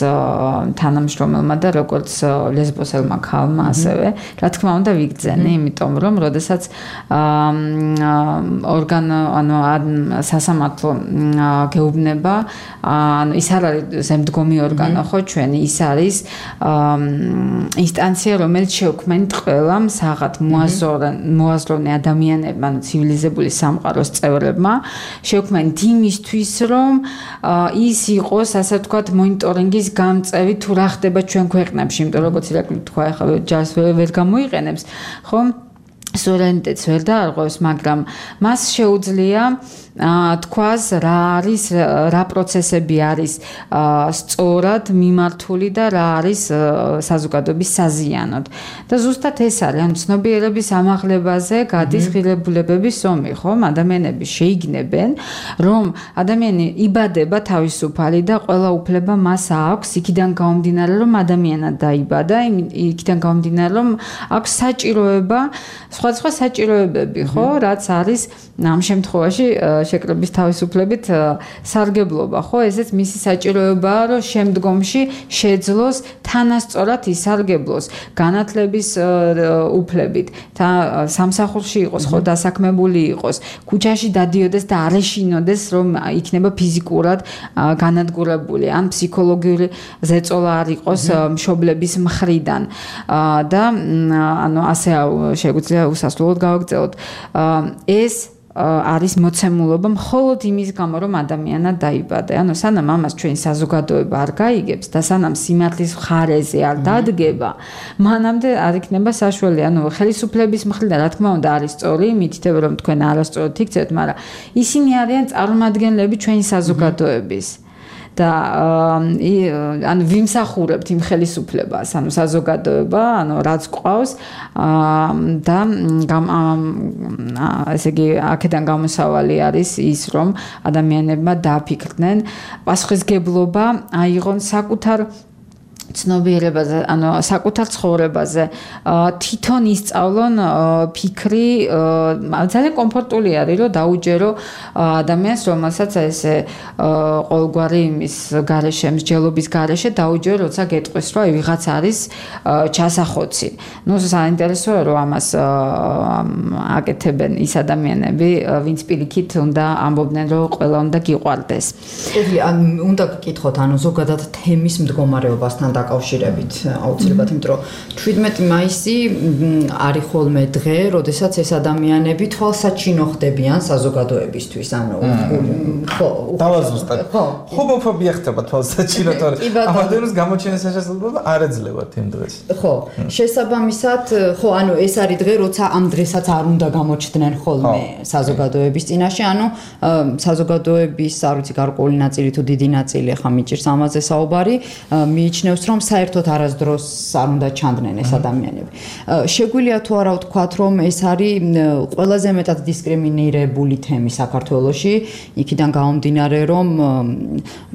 თანამშრომელმა და როგორც ლესბოსელმა ქალმა ასევე რა თქმა უნდა ვიგრძენი იმიტომ რომ როდესაც სასამართლო გეუბნება ანუ ის არ არის ზემდგომი ორგანო ხო ჩვენი ის არის ინსტანცია რომელიც შეუქმნით ყველამ საღად მოაზროვნე ადამიანებმა ანუ ცივილიზებული სამყაროს წევრებმა შეუქმნით იმისთვის რომ ის იყოს ასე ვთქვათ მონიტორინგის გამწევი თუ რა ხდება ჩვენ ქვეყნებში იმიტომ რომ როგორც ირაკლი თქვა ახლა ჯარს ვერ გამოიყენებს ხო სუვერენიტეტს ვერ დაარღვევს, მაგრამ მას შეუძლია თქვას რა არის, რა პროცესები არის სწორად მიმართული და რა არის საზოგადოების საზიანოდ. და ზუსტად ეს არის, ანუ ცნობიერების ამაღლებაზე გადის ღირებულებების ომი, ხომ? ადამიანები შეიგნებენ, რომ ადამიანი იბადება თავისუფალი და ყველა უფლება მას აქვს, იქიდან გამომდინარე, რომ ადამიანად დაიბადა, იქიდან გამომდინარე, რომ აქვს საჭიროება, სხვადასხვა საჭიროებები, ხო, რაც არის ამ შემთხვევაში შეკრების თავისუფლებით სარგებლობა, ხო? ესეც მისი საჭიროებაა, რომ შემდგომში შეძლოს თანასწორად ისარგებლოს განათლების უფლებით, სამსახურში იყოს, ხო, დასაქმებული იყოს, ქუჩაში დადიოდეს და არ ეშინოდეს, რომ იქნება ფიზიკურად განადგურებული, ან ფსიქოლოგიური ზეწოლა არ იყოს მშობლების მხრიდან. და ანუ ასე შეგვიძლია უსასრულოდ გავაგრძელოთ. ეს არის მოცემულობა მხოლოდ იმის გამო, რომ ადამიანად დაიბადა. ანუ სანამ ამას ჩვენი საზოგადოება არ გაიგებს და სანამ სიმართლის მხარეზე არ დადგება, მანამდე არ იქნება საშუალო. ანუ ხელისუფლების მხრიდან რა თქმა უნდა არის სწორი, მითითება რომ თქვენ არასწორად იქცევთ, მაგრამ ისინი არიან წარმომადგენლები ჩვენი საზოგადოების. და ანუ ვიმსახურებთ იმ ხელისუფლებას, ანუ საზოგადოება, ანუ რაც ყავს და ესე იგი აქედან გამოსავალი არის ის, რომ ადამიანებმა დააფიქრდნენ პასუხისგებლობა აიღონ საკუთარ ცნობიერებაზე, ანუ საკუთარ ცხოვრებაზე, თვითონ ისწავლონ ფიქრი, ძალიან კომფორტული არის, რომ დაუჯერო ადამიანს, რომელსაც ესე ყოველგვარი იმის გარეშე, მსჯელობის გარეშე დაუჯერო, როცა გეტყვის, რომ ვიღაც არის ჩასახოცი. ნუ საინტერესოა, რომ ამას აკეთებენ ის ადამიანები, ვინც პირიქით უნდა ამბობდნენ, რომ ყველა უნდა გიყვარდეს. უნდა გკითხოთ, ანუ ზოგადად თემის მდგომარეობასთან დაკავშირებით აუცილებლად, იმიტომ რომ 17 მაისი არის ხოლმე დღე, როდესაც ეს ადამიანები თვალსაჩინო ხდებიან საზოგადოებისთვის, ანუ ხო, დავაზუსტებ. ჰომოფობია ხდება თვალსაჩინო, თორე ამადენის გამოჩენის შესაძლებლობა არ ეძლევა იმ დღეს. ხო, შესაბამისად, ხო, ანუ ეს არის დღე, როცა ამ დღესაც არ უნდა გამოჩნდნენ ხოლმე საზოგადოების წინაშე, ანუ საზოგადოების, არ ვიცი, გარკვეული ნაწილი თუ დიდი ნაწილი, ხა მიჭირს ამაზე საუბარი, მიიჩნევს რომ საერთოდ არასდროს არ უნდა ჩანდნენ ეს ადამიანები. შეგვიძლია თუ არა ვთქვათ, რომ ეს არის ყველაზე მეტად დისკრიმინირებული თემი საქართველოში, იქიდან გამომდინარე, რომ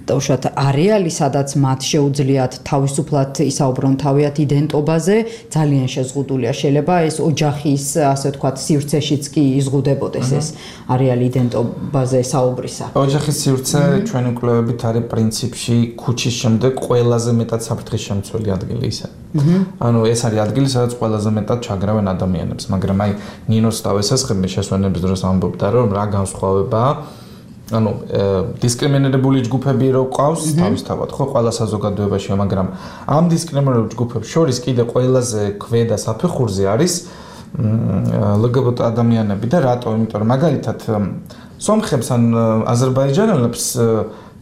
უშუალოდ არეალი, სადაც მათ შეუძლიათ თავისუფლად ისაუბრონ თავიანთ იდენტობაზე, ძალიან შეზღუდულია. შეიძლება ეს ოჯახის, ასე ვთქვათ, სივრცეშიც კი იზღუდებოდეს ეს არეალი იდენტობაზე საუბრისა. ოჯახის სივრცე ჩვენი კვლევებით არის პრინციპში ქუჩის შემდეგ ყველაზე მეტად საფრთხის შემცველი ადგილი ისე. ანუ ეს არის ადგილი, სადაც ყველაზე მეტად ჩაგრავენ ადამიანებს, მაგრამ აი ნინოს თავისესხები შესვენების დროს ამბობდა, რომ რა განსხვავებაა, ანუ დისკრიმინირებული ჯგუფები რო ყავს თავისთავად, ხო, ყველა საზოგადოებაში, მაგრამ ამ დისკრიმინირებულ ჯგუფებს შორის კიდე ყველაზე ქვედა საფეხურზე არის LGBT ადამიანები და რატო? იმიტომ რომ მაგალითად სომხებს ან აზერბაიჯანელებს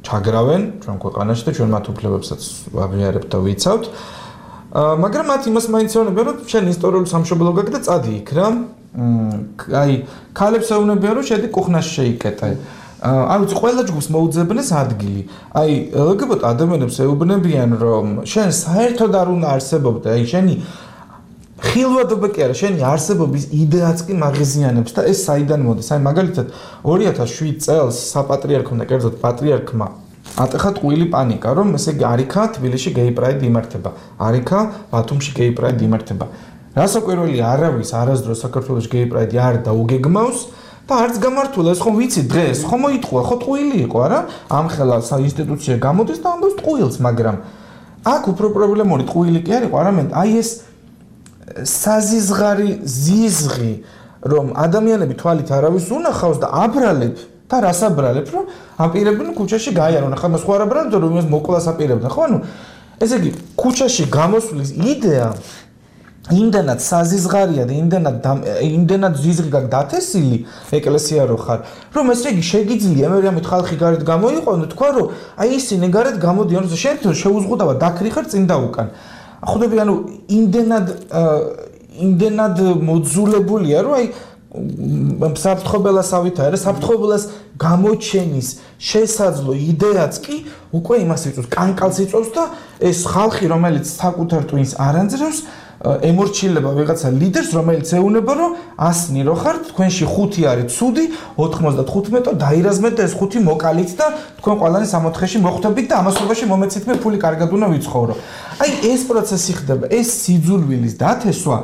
ჩაგრავენ ჩვენ ქვეყანაში და ჩვენ მათ უფლებებსაც აღიარებთ და ვიცავთ. მაგრამ მათ იმას მაინც ეუბნებიან, რომ შენ ისტორიული სამშობლო გაქვს და წადი იქ რა. აი, ქალებს ეუბნებიან, რომ შედი კუხნაში შეიკეტე. არ ვიცი, ყველა ჯგუფს მოუძებნეს ადგილი. აი, LGBT ადამიანებს ეუბნებიან, რომ შენ საერთოდ არ უნდა არსებობდე, აი შენი ხილვადობა კი არა, შენი არსებობის იდეაც კი მაღიზიანებს და ეს საიდან მოდის? აი, მაგალითად 2007 წელს საპატრიარქომ და კერძოდ პატრიარქმა ატეხა ტყუილი პანიკა, რომ ესე იგი არიქა თბილისში გეი პრაიდი იმართება, არიქა ბათუმში გეი პრაიდი იმართება. რასაკვირველია, არავის არასდროს საქართველოს გეი პრაიდი არ დაუგეგმავს და არც გამართულა, ეს ხომ ვიცი დღეს, ხომ მოიტყვა, ხო ტყუილი იყო, არა? ამხელა ინსტიტუცია გამოდის და ამბობს ტყუილს, მაგრამ აქ უფრო პრობლემური ტყუილი კი არ იყო, არამედ აი ეს საზიზღარი ზიზღი, რომ ადამიანები თვალით არავის უნახავს და აბრალებ და რას აბრალებ, რომ აპირებდნენ ქუჩაში გაიარონ. ახლა მას ხო არ აბრალებთ, რომ იმას მოკლას აპირებდნენ, ხო? ანუ ესე იგი, ქუჩაში გამოსვლის იდეა იმდანაც საზიზღარია და იმდანაც ზიზღი გაქვს დათესილი ეკლესია რო ხარ, რომ ესე იგი შეგიძლია მე რამე ხალხი გარეთ გამოიყვანო, თქვა რომ აი ისინი გარეთ გამოდიან, შენ შეუზღუდავად დაქრიხარ წინ და უკან. ხვდები, ანუ იმდენად იმდენად მოძულებულია, რომ აი საფრთხობელასავით არა, საფრთხობელას გამოჩენის შესაძლო იდეაც კი უკვე იმას იწვევს, კანკალს იწვევს და ეს ხალხი, რომელიც საკუთარ ტვინს არ ანძრევს, ემორჩილება ვიღაცა ლიდერს, რომელიც ეუნება, რომ ასნი რო ხართ, თქვენში 5 არის ცუდი, 95-ო დაირაზმეთ და ეს 5 მოკალით და თქვენ ყველანი 64-ში მოხვდებით და ამასობაში მომეცით მე ფული კარგად უნდა ვიცხოვრო. აი ეს პროცესი ხდება, ეს სიძულვილის დათესვა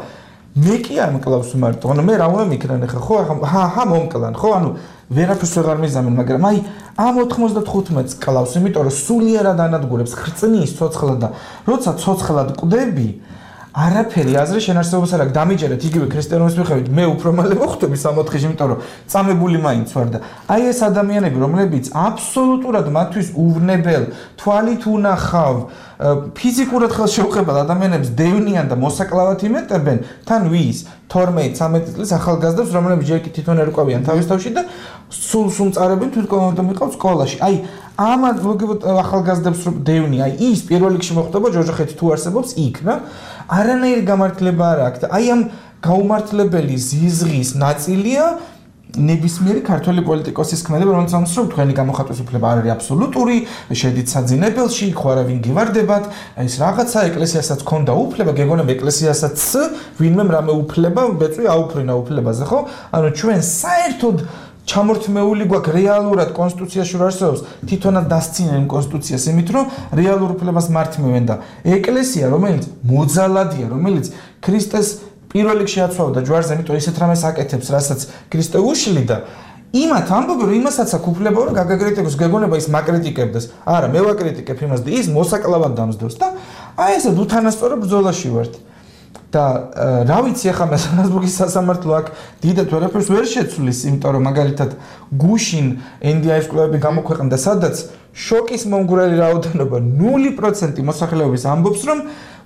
მე კი არ მკლავს მარტო, ანუ მე რა უნდა მიქნან ახლა, ხო, ახლა მომკლან, ხო, ანუ ვერაფერს ვეღარ მიზამენ, მაგრამ აი ამ 95-ს კლავს, იმიტომ რომ სულიერად ანადგურებს ხრწნის ცოცხლად და როცა ცოცხლად ყვდები, არაფერი აზრი შენარჩუნებას არ აქვს, დამიჯერეთ იგივე ქრისტიანობის მიხედვით, მე უფრო მალე მოხვდები 64-ში, იმიტომ რომ წამებული მაინც ვარ და აი ეს ადამიანები, რომლებიც აბსოლუტურად მათთვის უვნებელ, თვალით უნახავ, ფიზიკურად ხელშეუხებელ ადამიანებს დევნიან და მოსაკლავად იმეტებენ, თან ვის 12-13 წლის ახალგაზრდებს, რომლებიც ჯერ კი თვითონ ერკვევიან თავის თავში და სულს უმწარებენ თვითონ და მიყავს სკოლაში. აი ამ ახალგაზრდებს რომ დევნია, აი ის პირველ რიგში მოხდება ჯოჯოხეთი თუ არსებობს იქ რა. არანაირი გამართლება არ აქვს და აი ამ გაუმართლებელი ზიზღის ნაწილია ნებისმიერი ქართველი პოლიტიკოსის ქმედება, რომელიც ამბობს, რომ თქვენი გამოხატვის უფლება არ არის აბსოლუტური, შედით საძინებელში, ხო არა ვინ გივარდებათ, ეს რაღაცა ეკლესიასაც ქონდა უფლება, გეგონება ეკლესიასაც ვინმე რამე უფლება, ბეწვი აუფრინა უფლებაზე, ხო? ანუ ჩვენ საერთოდ ჩამორთმეული გვაქვს რეალურად კონსტიტუციაში რომ არსებობს, თვითონაც დასცინენ კონსტიტუციას, იმით რომ რეალურ უფლებას მართმევენ და ეკლესია, რომელიც მოძალადია, რომელიც ქრისტეს პირველ რიგში აცვავდა ჯვარზე, იმიტომ ისეთ რამეს აკეთებს, რასაც ქრისტე უშლიდა. იმათ ამბობენ, რომ იმასაც აქვს უფლება, რომ გაგაკრიტიკოს, გეგონება ის მაკრიტიკებდეს. არა, მე ვაკრიტიკებ იმას და ის მოსაკლავად დამსდევს და აი ესე უთანასწორო ბრძოლაში ვართ. და რა ვიცი ახლა მე სტრასბურგის სასამართლო აქ დიდად ვერაფერს ვერ შეცვლის, იმიტომ რომ მაგალითად გუშინ NDI-ის კვლევები გამოქვეყნდა, სადაც შოკის მომგვრელი რაოდენობა 0% მოსახლეობის ამბობს, რომ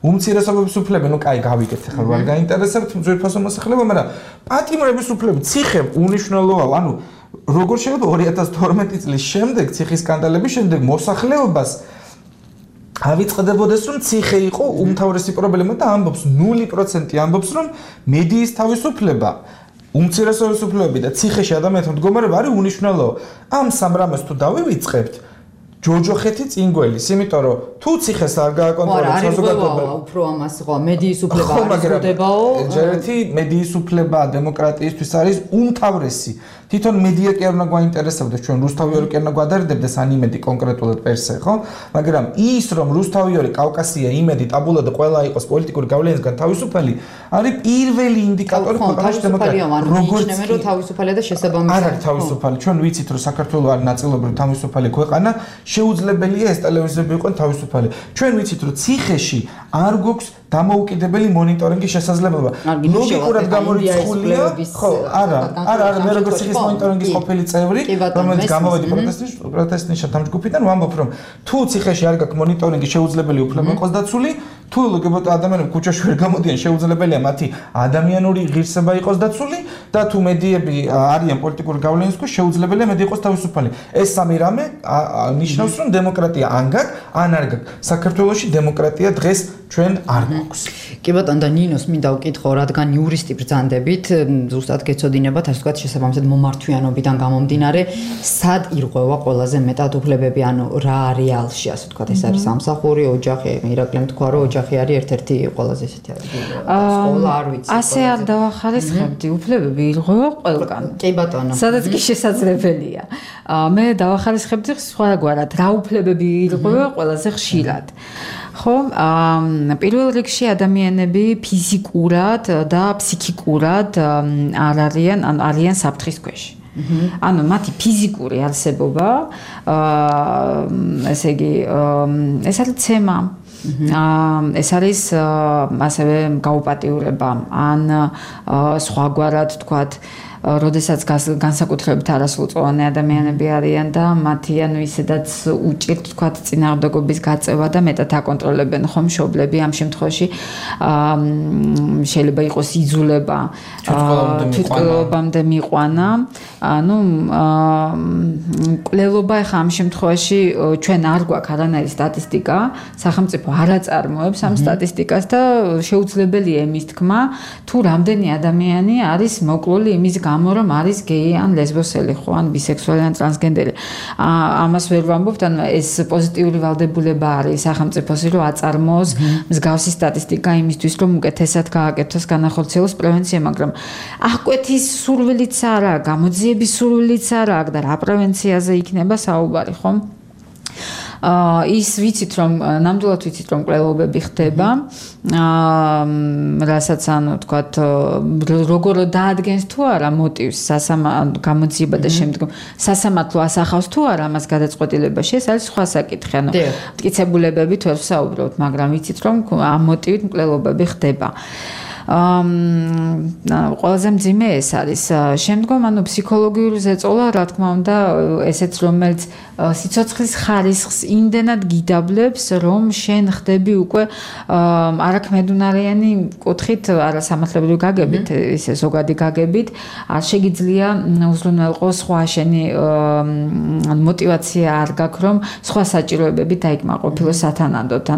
უმცირესობების უფლები, ну კაი გავიგეთ ახლა რა გაინტერესებთ ძვირფასო მოსახლეობა, მაგრამ პატიმრების უფლები, ციხე უნიშნელოა, ანუ როგორ შეიძლება 2012 წლის შემდეგ, ციხის სკანდალების შემდეგ მოსახლეობას ავიწყდებოდეს, რომ ციხე იყო უმთავრესი პრობლემა და ამბობს 0% ამბობს, რომ მედიის თავისუფლება, უმცირესობის უფლებები და ციხეში ადამიანთა მდგომარეობა არის უნიშნელო. ამ სამ რამეს თუ დავივიწყებთ, ჯოჯოხეთი წინგველის, იმიტომ რომ თუ ციხეს არ გააკონტროლებს საზოგადოება, უფრო ამას ხო მედიის უფლება არის გოდებაო. ჯერეთი მედიის უფლება დემოკრატიისთვის არის უმთავრესი. თვითონ მედია კი არ უნდა გვაინტერესებდეს, ჩვენ რუსთავიორი კი არ უნდა გვადარდებდეს ან იმედი კონკრეტულად პერსე, ხო? მაგრამ ის რომ რუსთავიორი, კავკასია, იმედი, ტაბულა და ყველა იყოს პოლიტიკური გავლენისგან თავისუფალი, არის პირველი ინდიკატორი ქვეყანაში დემოკრატიის. როგორც რომ თავისუფალია და შესაბამისად. არ არის თავისუფალი. ჩვენ ვიცით, რომ საქართველოს არის ნაწილობრივ თავისუფალი ქვეყანა, შეუძლებელია ეს ტელევიზიები იყვნენ თავისუფალი. ჩვენ ვიცით, რომ ციხეში არ გვაქვს დამოუკიდებელი მონიტორინგის შესაძლებლობა. ლოგიკურად გამორიცხულია, ხო, არა, მე როგორც ციხის მონიტორინგის ყოფილი წევრი, რომელიც გამოვედი პროტესტის დამჯგუფიდან, ვამბობ, რომ თუ ციხეში არ გაქვს მონიტორინგი, შეუძლებელი უფლება იყოს დაცული, თუ ლოგიკურად ადამიანები ქუჩაში ვერ გამოდიან, შეუძლებელია მათი ადამიანური ღირსება იყოს დაცული და თუ მედიები არიან პოლიტიკური გავლენის ქვეშ, შეუძლებელია მედი იყოს თავისუფალი. ეს სამი რამე ნიშნავს, რომ დემოკრატია ან გაქვს, ან არ გაქვს. საქართველოში დემოკრატია დღეს ჩვენ არ გვაქვს. კი ბატონო, და ნინოს მინდა ვკითხო, რადგან იურისტი ბრძანდებით, ზუსტად გეცოდინებათ, ასე ვთქვათ, შესაბამისად მომართვიანობიდან გამომდინარე, სად ირღვევა ყველაზე მეტად უფლებები, ანუ რა რეალში, ასე ვთქვათ, ეს არის სამსახური, ოჯახი, ირაკლიმ თქვა, რომ ოჯახი არის ერთ-ერთი ყველაზე ესეთი ადგილი. სკოლა არ ვიცი. ასე არ დავახალისხებდი, უფლებები ირღვევა ყველგან. კი ბატონო. სადაც კი შესაძლებელია. მე დავახალისხებდი სხვაგვარად, რა უფლებები ირღვევა ყველაზე ხშირად. ხო, პირველ რიგში ადამიანები ფიზიკურად და ფსიქიკურად არ არიან საფრთხის ქვეშ. ანუ მათი ფიზიკური არსებობა, ესე იგი, ეს არის ცემა. ეს არის ასევე გაუპატიურება, ან სხვაგვარად თქვათ, როდესაც განსაკუთრებით არასრულწლოვანი ადამიანები არიან და მათი ისედაც უჭირთ თქვათ წინააღმდეგობის გაწევა და მეტად აკონტროლებენ ხომ მშობლები ამ შემთხვევაში შეიძლება იყოს იძულება თვითმკვლელობამდე მიყვანა მკვლელობა ხა ამ შემთხვევაში ჩვენ არ გვაქვს არანაირი სტატისტიკა სახელმწიფო არ აწარმოებს ამ სტატისტიკას და შეუძლებელია იმის თქმა თუ რამდენი ადამიანი არის მოკლული იმის გამო რომ არის გეი ან ლესბოსელი ხო ან ბისექსუალი ან ტრანსგენდერი ამას ვერ ვამბობთ ან ეს პოზიტიური ვალდებულება არის სახელმწიფოსი რომ აწარმოოს მსგავსი სტატისტიკა იმისთვის რომ უკეთესად გააკეთოს განახორციელოს პრევენცია მაგრამ აღკვეთის სურვილიც არ აქვს გამოძიების სურვილიც არ აქვს და რა პრევენციაზე იქნება საუბარი ხომ ის ვიცით რომ ნამდვილად ვიცით რომ მკვლელობები ხდება რასაც თქვათ როგორ დაადგენს თუ არა მოტივს გამოძიება და შემდგომ სასამართლო ასახავს თუ არა ამას გადაწყვეტილებაში ეს არის სხვა საკითხი მტკიცებულებებით ვერ ვსაუბრობთ მაგრამ ვიცით რომ ამ მოტივით მკვლელობები ხდება ყველაზე მძიმე ეს არის შემდგომ ფსიქოლოგიური ზეწოლა რა თქმა უნდა ესეც რომელიც სიცოცხლის ხარისხს იმდენად გიდაბლებს რომ შენ ხდები უკვე არაქმედუნარიანი კუთხით არასამართლებრივი გაგებით ისე ზოგადი გაგებით არ შეგიძლია უზრუნველყო სხვა შენი მოტივაცია არ გაქვს რომ სხვა საჭიროებები დაიკმაყოფილო სათანადოდ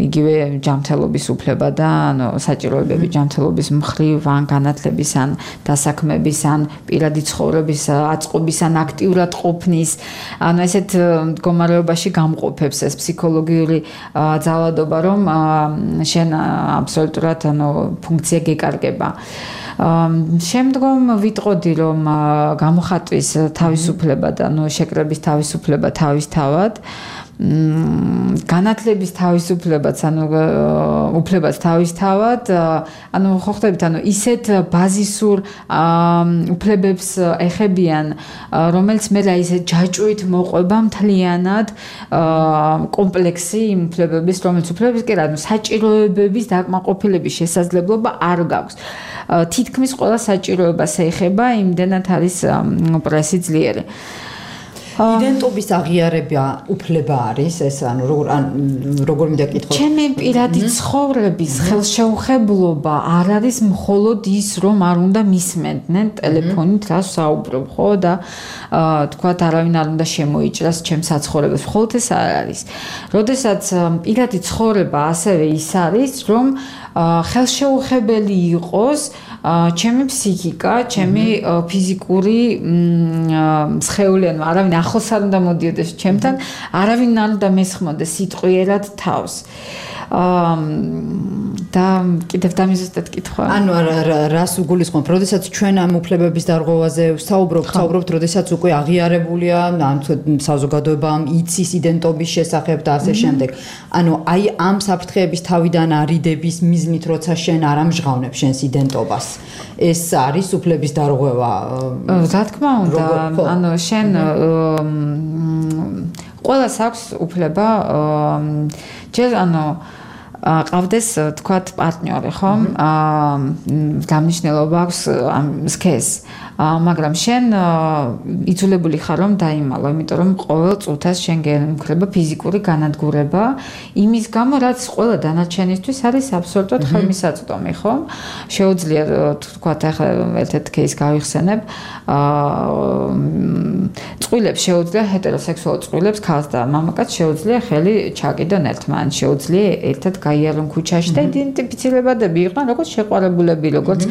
იგივე ჯანმრთელობის უფლება და საჭიროებები ჯანმრთელობის მხრივ ან განათლების ან დასაქმების ან პირადი ცხოვრების აწყობის ან აქტიურად ყოფნის ესეთ მდგომარეობაში გამყოფებს ეს ფსიქოლოგიური ძალადობა რომ შენ აბსოლუტურად ფუნქცია გეკარგება შემდგომ ვიტყოდი რომ გამოხატვის თავისუფლება და შეკრების თავისუფლება თავისთავად განათლების თავისუფლებაც უფლებაც თავისთავად ხო ხდებით ისეთ ბაზისურ უფლებებს ეხებიან რომელიც მე რა ისე ჯაჭვით მოყვება მთლიანად კომპლექსი იმ უფლებების რომელიც უფლებების კი რა საჭიროებების დაკმაყოფილების შესაძლებლობა არ გაქვს თითქმის ყველა საჭიროებას ეხება იმდენად არის პრესი ძლიერი იდენტობის აღიარება უფლება არის ეს როგორ მინდა კითხო ჩემი პირადი ცხოვრების ხელშეუხებლობა არ არის მხოლოდ ის რომ არ უნდა მისმენდნენ ტელეფონით რა საუბრობ ხო და თქვათ არავინ არ უნდა შემოიჭრას ჩემს საცხოვრებელს მხოლოდ ეს არ არის როდესაც პირადი ცხოვრება ასევე ის არის რომ ხელშეუხებელი იყოს ჩემი ფსიქიკა, ჩემი ფიზიკური სხეული, არავინ ახლოს არ უნდა მოდიოდეს ჩემთან, არავინ არ უნდა მესხმოდეს სიტყვიერად თავს. და კიდევ დამიზუსტეთ კითხვა. რას უგულისხმობ, როდესაც ჩვენ ამ უფლებების დარღვევაზე ვსაუბრობთ, როდესაც უკვე აღიარებულია, საზოგადოებამ იცის იდენტობის შესახებ და ასე შემდეგ. აი ამ საფრთხეების თავიდან არიდების მიზნით, როცა შენ არ ამჟღავნებ შენს იდენტობას. ეს არის უფლების დარღვევა. რა თქმა უნდა, შენ ყველას აქვს უფლება ჯერ ყავდეს თქვათ პარტნიორი ხო? გამნიშნელობა აქვს ამ სქეს. მაგრამ შენ იძულებული ხარ რომ დაიმალო, იმიტომ რომ ყოველ წუთას შენ გემხრება ფიზიკური განადგურება, იმის გამო რაც ყველა დანარჩენისთვის არის აბსოლუტურად ხელმისაწვდომი, ხო? შეუძლია თქვათ ახლა ერთ-ერთ кейს გავიხსენებ, წყვილებს შეუძლია ჰეტეროსექსუალ წყვილებს ქალს და მამაკაც შეუძლია ხელი ჩაკიდონ ერთმანეთს, შეუძლია ერთად გაიარონ ქუჩაში და იდენტიფიცირებადები იყვნენ როგორც შეყვარებულები, როგორც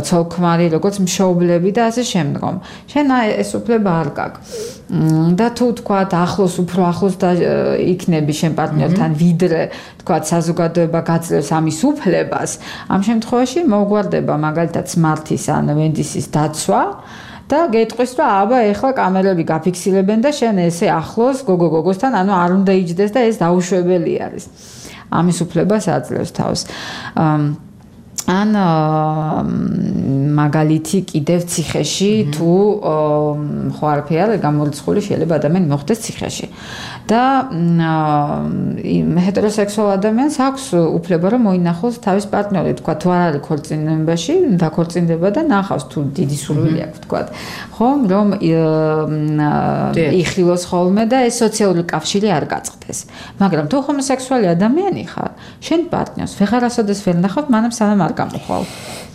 ცოლ-ქმარი, როგორც მშობლები და ასე შემდგომ. შენ ეს უფლება არ გაქვს. და თუ თქვათ ახლოს უფრო ახლოს და იქნები შენ პარტნიორთან ვიდრე თქვათ საზოგადოება გაძლევს ამის უფლებას, ამ შემთხვევაში მოგვარდება მაგალითად სმართის ან ვენდისის დაცვა და გეტყვის რომ აბა ეხლა კამერები გაფიქსირებენ და შენ ესე ახლოს გოგო-გოგოსთან არ უნდა იჯდეს და ეს დაუშვებელი არის. ამის უფლებას აძლევს თავს. ან მაგალითი კიდევ ციხეში თუ ხო არაფერი არ გამორიცხული შეიძლება ადამიანი მოხვდეს ციხეში და ჰეტეროსექსუალ ადამიანს აქვს უფლება რომ მოინახოს თავის პარტნიორი, თქვა თუ არ არის ქორწინებაში, დაქორწინდება და ნახავს თუ დიდი სურვილი აქვს, თქვა, ხომ, რომ იხილოს ხოლმე და ეს სოციალური კავშირი არ გაწყდეს. მაგრამ თუ ჰომოსექსუალი ადამიანი ხარ, შენ პარტნიორს ვეღარასოდეს ვერ ნახავ, მანამ სანამ არ გამოხვალ.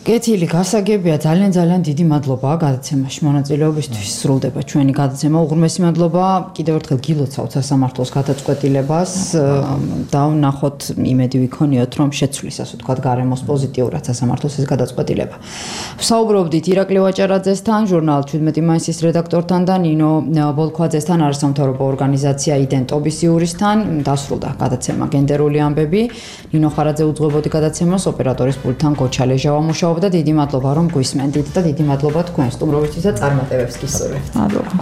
კეთილი, გასაგებია, ძალიან დიდი მადლობა გადაცემაში მონაწილეობისთვის. სრულდება ჩვენი გადაცემა. უღრმესი მადლობა. კიდევ ერთხელ გილოცავთ სასამართლოს გადაწყვეტილებას და ვნახოთ, იმედი ვიქონიოთ, რომ შეცვლის, ასე ვთქვათ, გარემოს პოზიტიურად სასამართლოს ეს გადაწყვეტილება. ვსაუბრობდით ირაკლი ვაჭარაძესთან, ჟურნალ 17 მაისის რედაქტორთან და ნინო ბოლქვაძესთან, არასამთავრობო ორგანიზაცია იდენტობის იურისთან. დასრულდა გადაცემა გენდერული ამბები. ნინო ხარაძე უძღვებოდი გადაცემას, ოპერატორის პულტთან გოჩა ლეჟავა მუშაობდა. და დიდი მადლობა რომ გვისმენდით და დიდი მადლობა თქვენ სტუმრობისთვის და წარმატებებს გისურვებთ. მადლობა.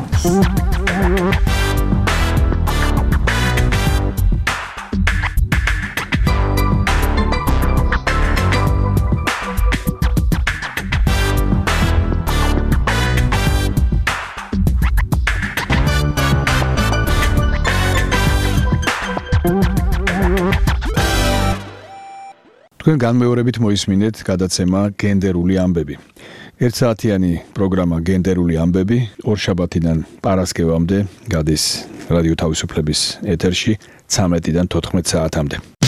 თქვენ განმეორებით მოისმინეთ გადაცემა გენდერული ამბები. 1 საათიანი პროგრამა გენდერული ამბები ორშაბათიდან პარასკევამდე გადის რადიო თავისუფლების ეთერში 13-დან 14 საათამდე.